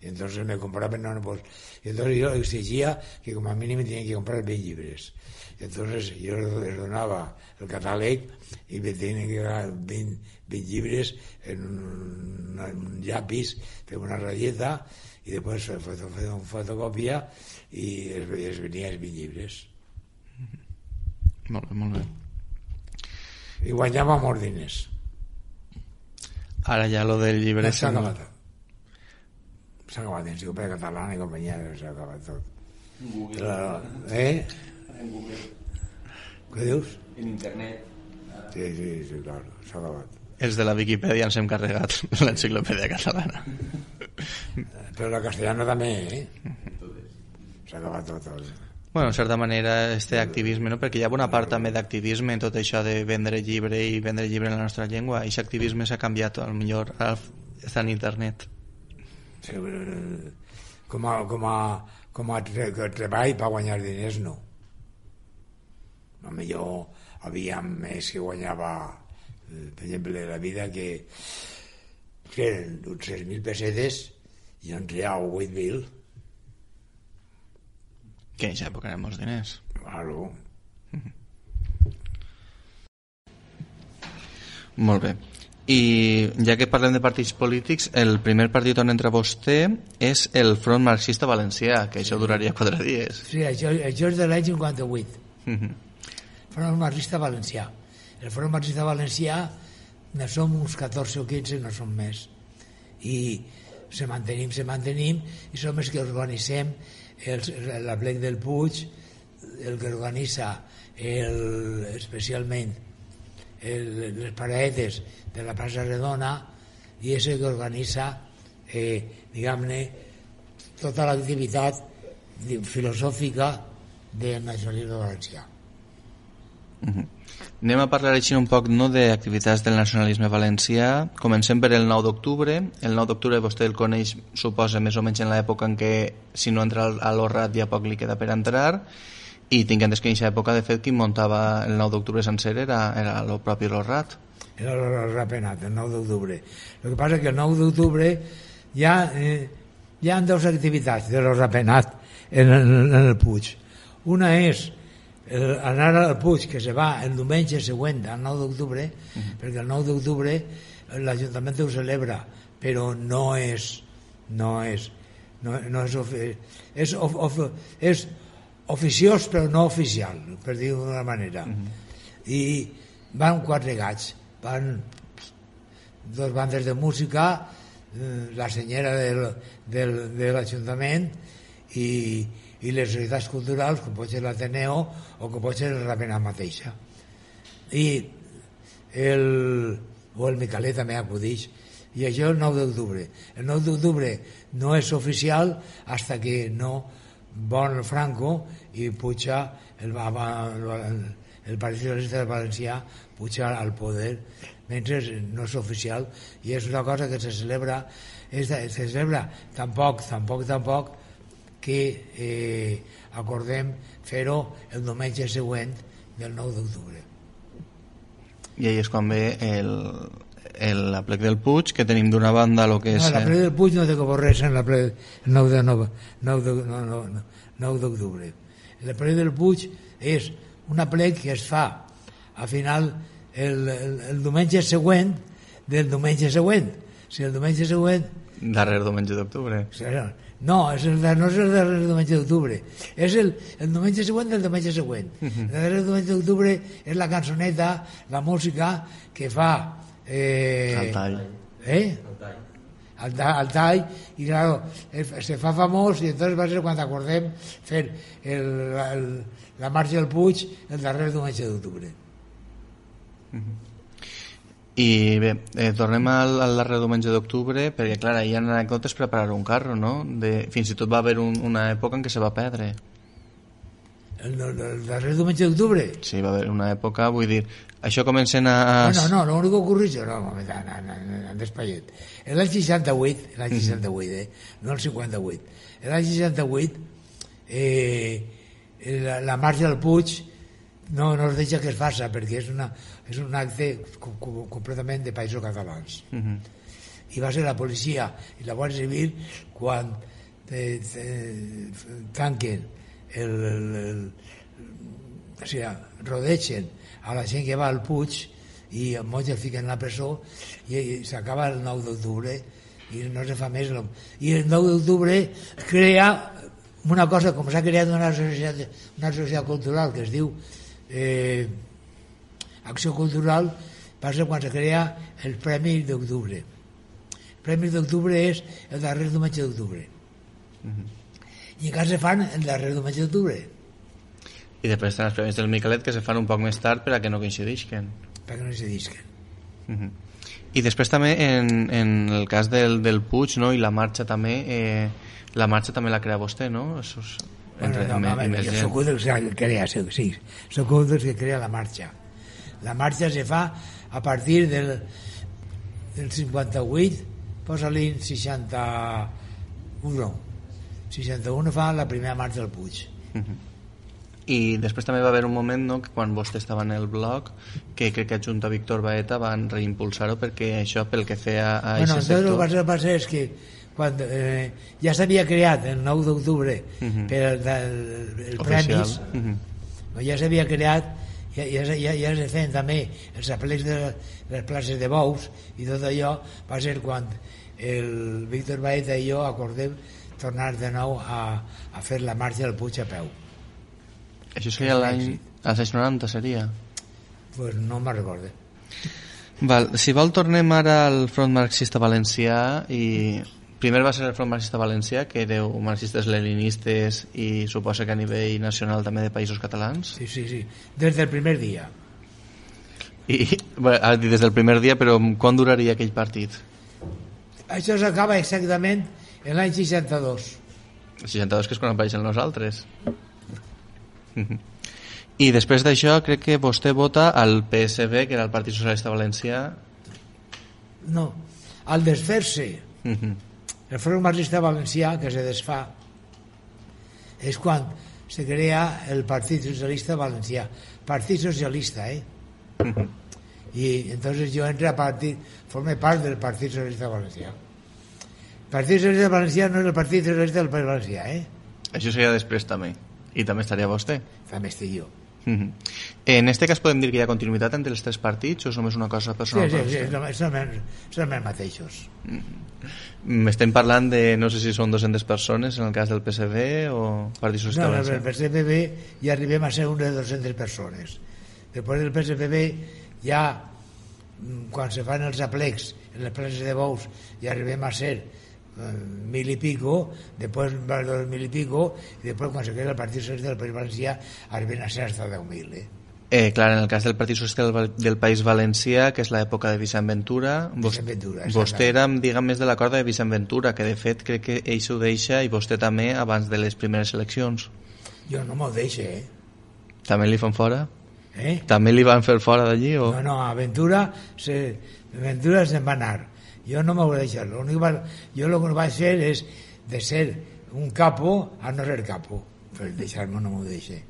Speaker 4: Y entonces me compraban, y entonces yo exigía que como a mí me tenían que comprar 20 llibres. Y entonces yo les donaba el catàleg y me tenían que dar 20 llibres en un llapis, fer una ratlleta y después fer una fotocòpia y es venía els 20 llibres.
Speaker 3: Molt bé, molt bé.
Speaker 4: I guanyava molts diners.
Speaker 3: Ara ja lo del llibre...
Speaker 4: S'ha acabat. S'ha acabat l'enciclopèdia catalana i companyia, s'ha acabat tot.
Speaker 5: En Google.
Speaker 4: Què dius?
Speaker 5: En internet.
Speaker 4: Sí, claro, s'ha acabat.
Speaker 3: Els de la Viquipèdia ens hem carregat l'enciclopèdia catalana.
Speaker 4: Però la castellana també, S'ha acabat tot.
Speaker 3: Bueno, en certa manera, este activisme, no? Perquè hi ha una part també d'activisme en tot això de vendre llibre i vendre llibre en la nostra llengua, i aquest activisme s'ha canviat, potser està en internet.
Speaker 4: Sí, com a treball per guanyar diners, no. Millor havia més que guanyava, per exemple, la vida que eren 6.000 pessetes i en real 8.000.
Speaker 3: Que en aquesta època eren molts diners.
Speaker 4: Claro.
Speaker 3: Molt bé. I ja que parlem de partits polítics, el primer partit on entra vostè és el Front Marxista Valencià, que això duraria 4 dies.
Speaker 4: Sí, això és de l'any 58. Front Marxista Valencià. El Front Marxista Valencià no som uns 14 o 15, no som més. I se mantenim, i som els que organitzem la Plec del Puig, el que organitza especialment les paradetes de la plaça Redona, i és el que organitza diguem-ne tota l'activitat filosòfica del nacionalisme valencià.
Speaker 3: Anem a parlar així un poc d'activitats del nacionalisme valencià. Comencem per el 9 d'octubre. El 9 d'octubre vostè el coneix, suposa, més o menys en l'època en què, si no entra a l'Orrat, ja poc li queda per entrar. I tinc entès que en aquesta època, de fet, qui muntava el 9 d'octubre sencer era el propi l'Orrat.
Speaker 4: Era el Rapenat, el 9 d'octubre. El que passa és que el 9 d'octubre hi ha dues activitats de el Rapenat en el Puig. Una és anar al Puig, que se va el diumenge següent al 9 d'octubre, perquè el 9 d'octubre l'Ajuntament ho celebra, però és oficiós però no oficial, per dir-ho d'una manera. I van 4 gats, van 2 bandes de música, la senyera de l'Ajuntament i les societats culturals, com pot ser l'Ateneo o com pot ser el Rapenat mateixa. O el Micalet també acudix. I això el 9 d'octubre. El 9 d'octubre no és oficial fins que no vol Franco i puja el Partit Socialista Valencià puja al poder, mentre no és oficial, i és una cosa que se celebra tampoc que acordem fer-ho el diumenge següent del 9 d'octubre.
Speaker 3: I ahí és quan ve l'aplec del Puig, que tenim d'una banda el que és...
Speaker 4: No, l'aplec del Puig no té que veure en l'aplec del 9 d'octubre. L'aplec del Puig és un aplec que es fa al final el diumenge següent del diumenge següent. Si el diumenge següent...
Speaker 3: Darrer diumenge d'octubre.
Speaker 4: No, no és el darrer diumenge d'octubre. És el diumenge següent del diumenge següent. El darrer diumenge d'octubre és la cançoneta, la música que fa...
Speaker 3: el tall.
Speaker 4: Al tall, i claro, se fa famós, i entonces va ser quan acordem fer la marxa del Puig el darrer diumenge d'octubre.
Speaker 3: I bé, tornem al darrer diumenge d'octubre, perquè clar, hi ha anècdotes preparar un carro, no? Fins i tot va haver una època en què se va perdre.
Speaker 4: El darrer diumenge d'octubre?
Speaker 3: Sí, va haver una època, vull dir, això comencen a...
Speaker 4: No, l'únic que ocorreix, en despallet. L'any 68, no el 58, l'any 68, la marxa del Puig no es deixa que es faça, perquè és un acte completament de països catalans. I va ser la policia i la Guàrdia Civil quan tanquen o sigui, rodegen a la gent que va al Puig i molts el fiquen a la presó i s'acaba el 9 d'octubre i no se fa més. I el 9 d'octubre crea una cosa, com s'ha creat una societat cultural que es diu Acció Cultural, passa quan se crea el Premi d'Octubre. El Premi d'Octubre és el darrer diumenge d'octubre. I encara se fan el darrer diumenge d'octubre.
Speaker 3: I després estan els premis del Micalet, que se fan un poc més tard per a que no coincidisquen. I després també en el cas del Puig, no? I la marxa també la crea vostè, no?
Speaker 4: Soc un dels que crea, sí, soc un dels que crea la marxa. La marxa se fa a partir del 58, posa-li 61 fa la primera marxa del Puig.
Speaker 3: I després també va haver un moment, no?, que quan vostè estava en el blog, que crec que junt a Víctor Baeta van reimpulsar-ho, perquè això, pel que feia a aquest sector...
Speaker 4: El que passa és que quan ja s'havia creat el 9 d'octubre per el premis, ja s'havia creat, ja es feien també els aplecs de les places de bous i tot allò. Va ser quan el Víctor Baeta i jo acordem tornar de nou a fer la marxa del Puig a peu.
Speaker 3: Això seria l'any... als anys 90 seria?
Speaker 4: Pues no me'n recorde.
Speaker 3: Si vol, tornem ara al Front Marxista Valencià. I primer va ser el Front Marxista Valencià, que éreu marxistes leninistes i suposa que a nivell nacional també de països catalans.
Speaker 4: Sí, des del primer dia.
Speaker 3: Des del primer dia, però quan duraria aquell partit?
Speaker 4: Això s'acaba exactament en l'any 62.
Speaker 3: El 62, que és quan apareixen nosaltres. I després d'això crec que vostè vota al PSB, que era el Partit Socialista Valencià.
Speaker 4: No, al desfer-se, el Front Marxista Valencià, que se desfà, és quan se crea el Partit Socialista Valencià. Partit Socialista, I entonces jo entro a partit, forme part del Partit Socialista Valencià. El Partit Socialista Valencià no és el Partit Socialista del País Valencià,
Speaker 3: Això seria després també. I també estaria vostè.
Speaker 4: També estic jo.
Speaker 3: En este cas podem dir que hi ha continuïtat entre els tres partits o és només una cosa personal?
Speaker 4: Sí, són els mateixos.
Speaker 3: Estem parlant de, no sé si són 200 persones en el cas del PSB o Partit Socialista Valencià.
Speaker 4: No, el PSPB ja arribem a ser unes 200 persones. Després del PSPB ja, quan se fan els aplecs en les places de bous, ja arribem a ser 1.000 i pico, després 2.000 i pico, i després quan se crea el Partit Socialista del País Valencià arriben a ser hasta 10.000.
Speaker 3: Clar, en el cas del Partit Socialista del País Valencià, que és l'època de Vicent Ventura, vostè era, diguem, més de la corda de Vicent Ventura, que de fet crec que ell s'ho deixa i vostè també abans de les primeres eleccions.
Speaker 4: Jo no m'ho deixo,
Speaker 3: També li fan fora? També li van fer fora d'allí? O?
Speaker 4: No, a Ventura se'n va anar. Jo no m'ho vaig deixar. Jo el que vaig fer és de ser un capo a no ser capo. Per deixar-me no m'ho deixe.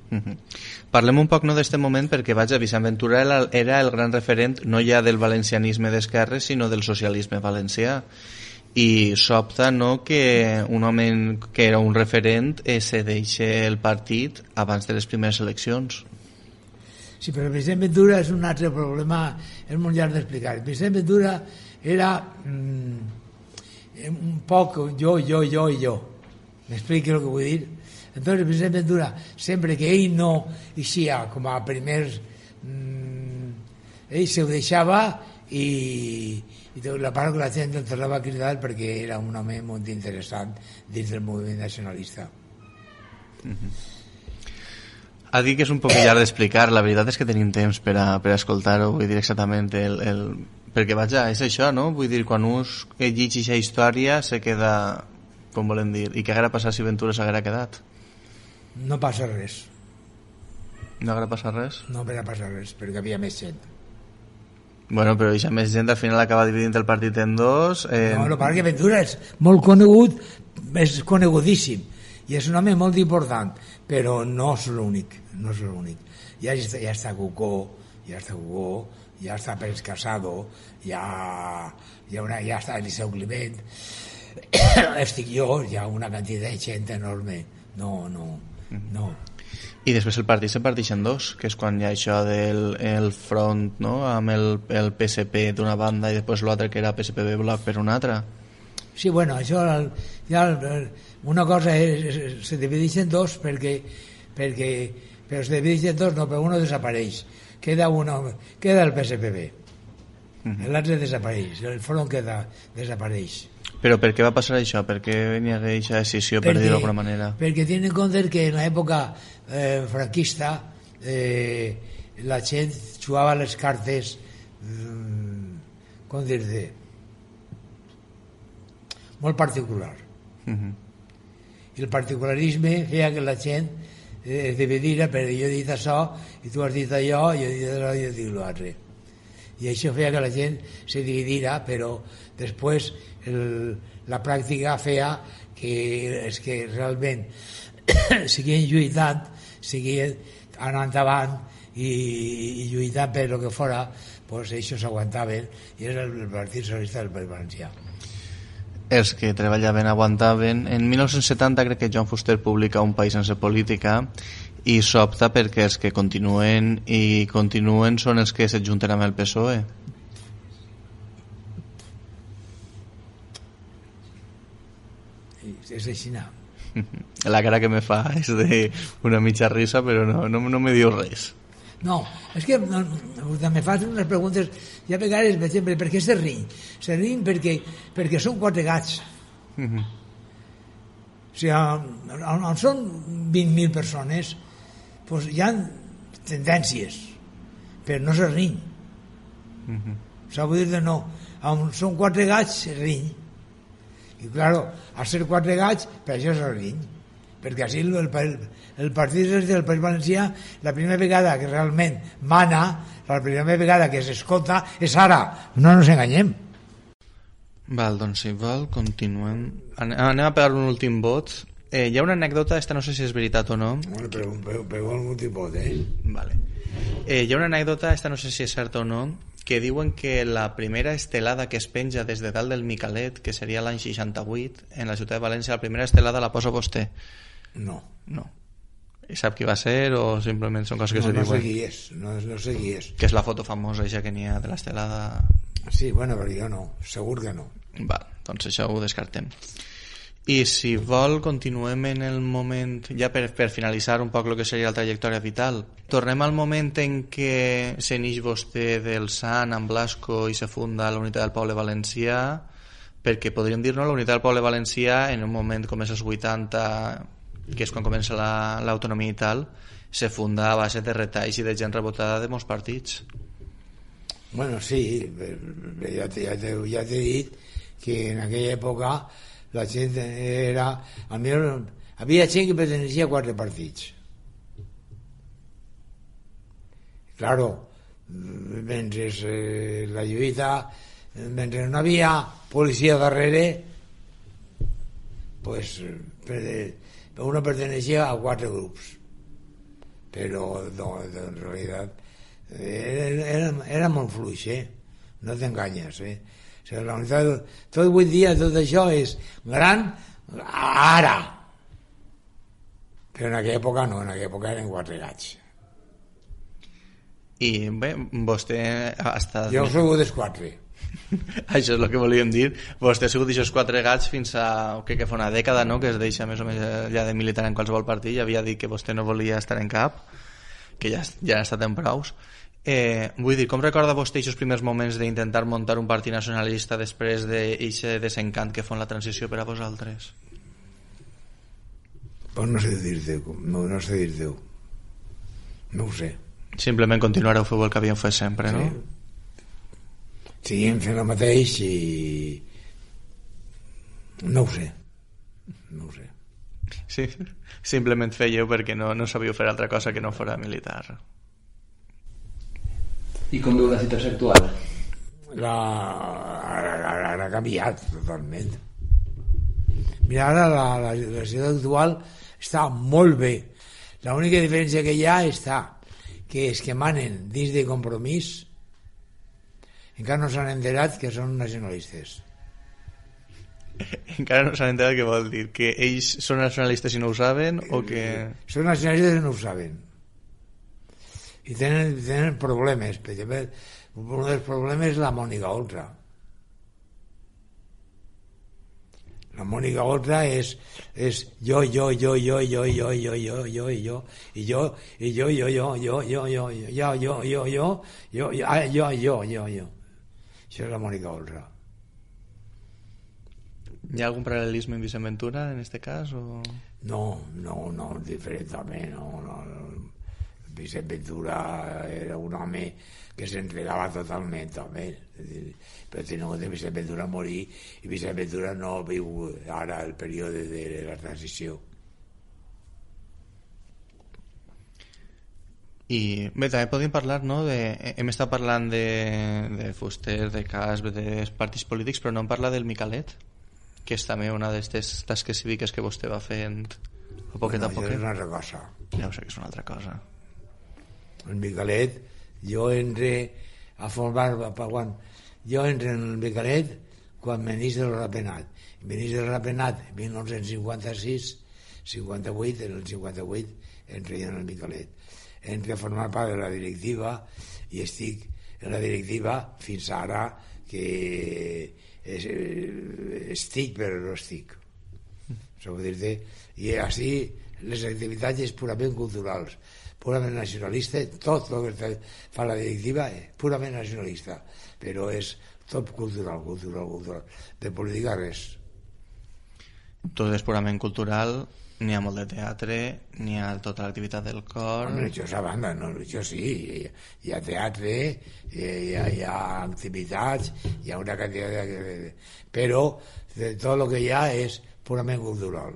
Speaker 3: Parlem un poc d'aquest moment perquè Vicent Ventura era el gran referent no ja del valencianisme d'esquerres sinó del socialisme valencià i sobta que un home que era un referent se deixa el partit abans de les primeres eleccions.
Speaker 4: Sí, però Vicent Ventura és un altre problema, és molt llarg d'explicar. Vicent Ventura era un poc jo. M'expliqui el que vull dir? Entonces Vicent Ventura, sempre que ell no eixia com a primers, ell se ho deixava i la part que la gent el tornava a cridar perquè era un home molt interessant dins del moviment nacionalista.
Speaker 3: Ha dit que és un poc llarg d'explicar, la veritat és que tenim temps per a escoltar-ho, vull dir exactament perquè vaja, és això, no? Vull dir, quan us llegeix aquesta història se queda, com volem dir, i què haguera passat si Ventura s'haguera quedat?
Speaker 4: No passa res.
Speaker 3: No haguera passat res?
Speaker 4: No haguera passat res, perquè havia més gent.
Speaker 3: Bueno, però aquesta més gent al final acaba dividint el partit en dos.
Speaker 4: No, el que Ventura és molt conegut, és conegudíssim, i és un home molt important, però no és l'únic, no és l'únic. Ja està Cucó, ja està Pérez Casado, ja està Eliseu Climent, estic jo, hi ha una quantitat de gent enorme. No.
Speaker 3: I després el partit se parteix en dos, que és quan hi ha això del front, no?, amb el PSP d'una banda i després l'altre que era PSPB Bloc per una altra.
Speaker 4: Sí, bueno, això una cosa se divideix en dos perquè però se divideix en dos, no, però uno desapareix, queda el PSPB, l'altre desapareix, el front desapareix.
Speaker 3: Però per què va passar això? Per què venia aquesta decisió, per dir-ho d'alguna manera?
Speaker 4: Perquè tenen en compte que en l'època franquista la gent jugava les cartes com dir-te molt particular. I el particularisme feia que la gent es dividira, però jo he dit això i tu has dit allò, jo he dit allò i jo he dit l'altre. I això feia que la gent se dividira, però després la pràctica feia que realment seguien lluitant, seguien anant avant i lluitant per el que fora, doncs això s'aguantaven i era el Partit Socialista del País Valencià.
Speaker 3: Els que treballaven aguantaven. En 1970 crec que Joan Fuster publica Un país sense política i s'opta perquè els que continuen són els que s'adjunten amb el PSOE.
Speaker 4: És així.
Speaker 3: La cara que me fa és d'una mitja risa, però no me diu res.
Speaker 4: No, és que me fas unes preguntes, ja a vegades, per exemple, per què se riñ? Se riñ perquè són quatre gats. O sigui, on són 20.000 persones, doncs hi ha tendències, però no se riñ. S'ha de dir no, on són quatre gats, se riñ. I, claro, al ser quatre gats, per això se riñ, perquè així el partit del País Valencià, la primera vegada que realment mana, la primera vegada que s'escolta és ara, no ens enganyem.
Speaker 3: Val, doncs si vol, continuem. Anem a pegar un últim vot. Hi ha una anècdota, esta no sé si és veritat o no.
Speaker 4: Bueno, però un últim vot,
Speaker 3: Vale. Hi ha una anècdota, esta no sé si és certa o no, que diuen que la primera estelada que es penja des de dalt del Micalet, que seria l'any 68, en la ciutat de València, la primera estelada la posa vostè.
Speaker 4: No.
Speaker 3: I sap qui va ser o simplement són coses que se diuen?
Speaker 4: No sé qui és.
Speaker 3: Que és la foto famosa ja que n'hi ha de l'estelada...
Speaker 4: Sí, bueno, però jo no, segur que no.
Speaker 3: Val, doncs això ho descartem. I si vol continuem en el moment, ja per finalitzar un poc el que seria la trajectòria vital, tornem al moment en què se n'ix vostè del Sant amb Blasco i se funda la Unitat del Poble Valencià, perquè podríem dir-nos la Unitat del Poble Valencià en un moment com és els 80, que és quan comença l'autonomia i tal, se funda a base de retalls i de gent rebotada de molts partits.
Speaker 4: Bueno, sí, ja t'he dit que en aquella època la gent era... Havia gent que pertenecía a 4 partits. Claro, mentre la lluita, mentre no havia policia darrere, pues uno pertenecía a 4 grups. Però no, en realitat era molt fluix, no t'enganyes, O sigui, la unitat, tot avui dia tot això és gran ara, però en aquella època no, en aquella època eren 4 gats.
Speaker 3: I bé, vostè ha estat...
Speaker 4: Jo he sigut dels 4.
Speaker 3: Això és el que volíem dir. Vostè ha sigut d'aquests 4 gats fins a que fa una dècada, no?, que es deixa més o menys ja de militar en qualsevol partit. Ja havia dit que vostè no volia estar en cap, que ja ha estat en praus. Vull dir, com recorda vostè aquests primers moments d'intentar muntar un partit nacionalista després d'aquest desencant que fa la transició per a vosaltres?
Speaker 4: Pues no sé dir-te, no sé dir-te. No ho sé.
Speaker 3: Simplement continuareu fent el que havíem fet sempre, no?
Speaker 4: Seguim fent el mateix i... No ho sé.
Speaker 3: Sí, simplement fèieu perquè no sabíeu fer altra cosa que no fora militar.
Speaker 5: I com veu la situació actual?
Speaker 4: Ha canviat totalment. Mira, ara la situació actual està molt bé. L'única diferència que hi ha està que els que manen dins de Compromís encara no s'han enterat que són nacionalistes.
Speaker 3: Encara no s'han enterat què vol dir? Que ells són nacionalistes i no ho saben o que...
Speaker 4: Són nacionalistes i no ho saben. I tenen problemes. Per exemple, un dels problemes és la Mònica Oltra. La Mònica Oltra és jo, això és la Mònica Oltra.
Speaker 3: Hi ha algun paral·lelisme amb Vicent Ventura en este cas? O...
Speaker 4: No, diferentament, no. Vicent Ventura era un home que s'entregava totalment, home. Però tenint en compte Vicent Ventura morir i Vicent Ventura no viu ara el període de la transició.
Speaker 3: I bé, també podríem parlar, no? Hem estat parlant de Fuster, de Casp, dels partits polítics, però no hem parlat del Micalet, que és també una d'aquestes tasques cíviques que vostè va fent a poquet a poquet.
Speaker 4: És una altra cosa.
Speaker 3: Ja ho sé que és una altra cosa.
Speaker 4: El Micalet, jo entré a formar... Jo entré en el Micalet quan venís del Rapenat. Venís del Rapenat en 1956, 58, en el 58 entré en el Micalet. Entré a formar part de la directiva i estic en la directiva fins ara que estic però no estic. I així les activitats és purament culturals, purament nacionalista, tot el que fa la directiva és purament nacionalista, però és tot cultural. De política res.
Speaker 3: Tot és purament cultural, n'hi ha molt de teatre, n'hi ha tota l'activitat del cor...
Speaker 4: Home, això és a banda, no? Això sí, hi ha teatre, hi ha activitats, hi ha una quantitat de... Però tot el que hi ha és purament cultural.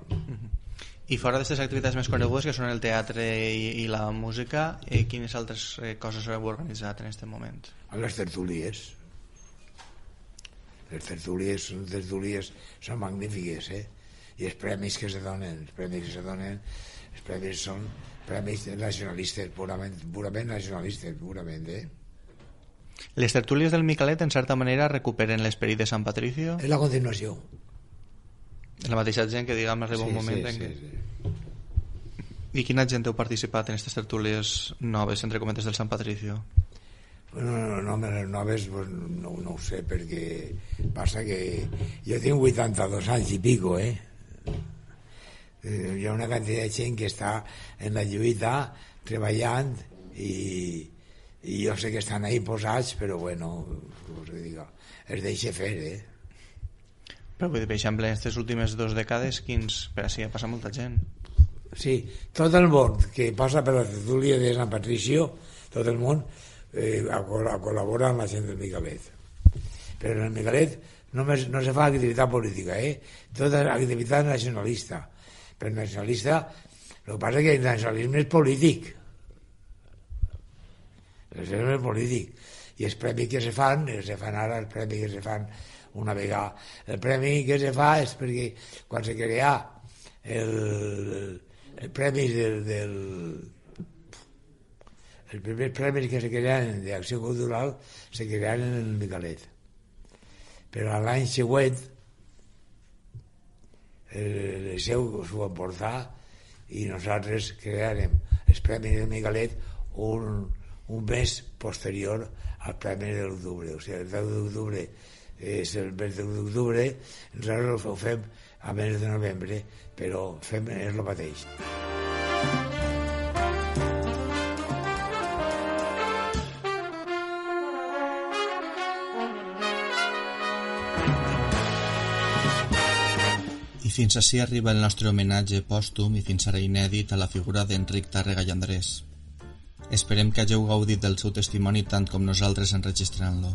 Speaker 3: I fora d'aquestes activitats més conegudes, que són el teatre i la música, quines altres coses heu organitzat en aquest moment?
Speaker 4: Les tertúlies. Les tertúlies són magnífiques, i els premis que se donen, els premis són premis nacionalistes, purament nacionalistes, purament,
Speaker 3: Les tertúlies del Micalet, en certa manera, recuperen l'esperit de Sant Patricio?
Speaker 4: És la continuació.
Speaker 3: La mateixa gent que, diguem, arriba un moment en què... I quina gent heu participat en aquestes tertúlies noves, entre cometes, del Sant Patricio?
Speaker 4: Bueno, les noves pues, no ho sé, perquè passa que jo tinc 82 anys i pico, hi ha una quantitat de gent que està en la lluita, treballant, i jo sé que estan ahí posats, però bueno, es deixa fer,
Speaker 3: Però vull dir, per exemple, en aquestes últimes 2 dècades, per així ha passat molta gent.
Speaker 4: Sí, tot el món que passa per la tertúlia de Sant Patricio, tot el món col·labora amb la gent del Micalet. Però en el Micalet no se fa activitat política, tota activitat nacionalista. Però nacionalista, el que passa és que el nacionalisme és polític. El nacionalisme és polític. I els premis que se fan ara, els premis que se fan una vegada. El premi que se fa és perquè quan se crea el premi els primers premis que se crearen d'acció cultural se crearen en el Micalet, però l'any següent el Liceu s'ho va emportar i nosaltres crearem els premis del Micalet un mes posterior al premi de l'octubre. O sigui, el 10 d'octubre és el mes d'octubre, nosaltres ho fem a mes de novembre, però és el mateix.
Speaker 3: I fins ací arriba el nostre homenatge pòstum i fins ara inèdit a la figura d'Enric Tàrrega i Andrés. Esperem que hagueu gaudit del seu testimoni tant com nosaltres enregistrant-lo.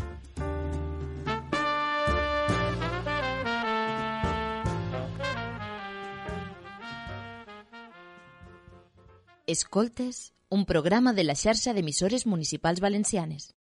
Speaker 6: Escoltes, un programa de la xarxa d'emissores municipals valencianes.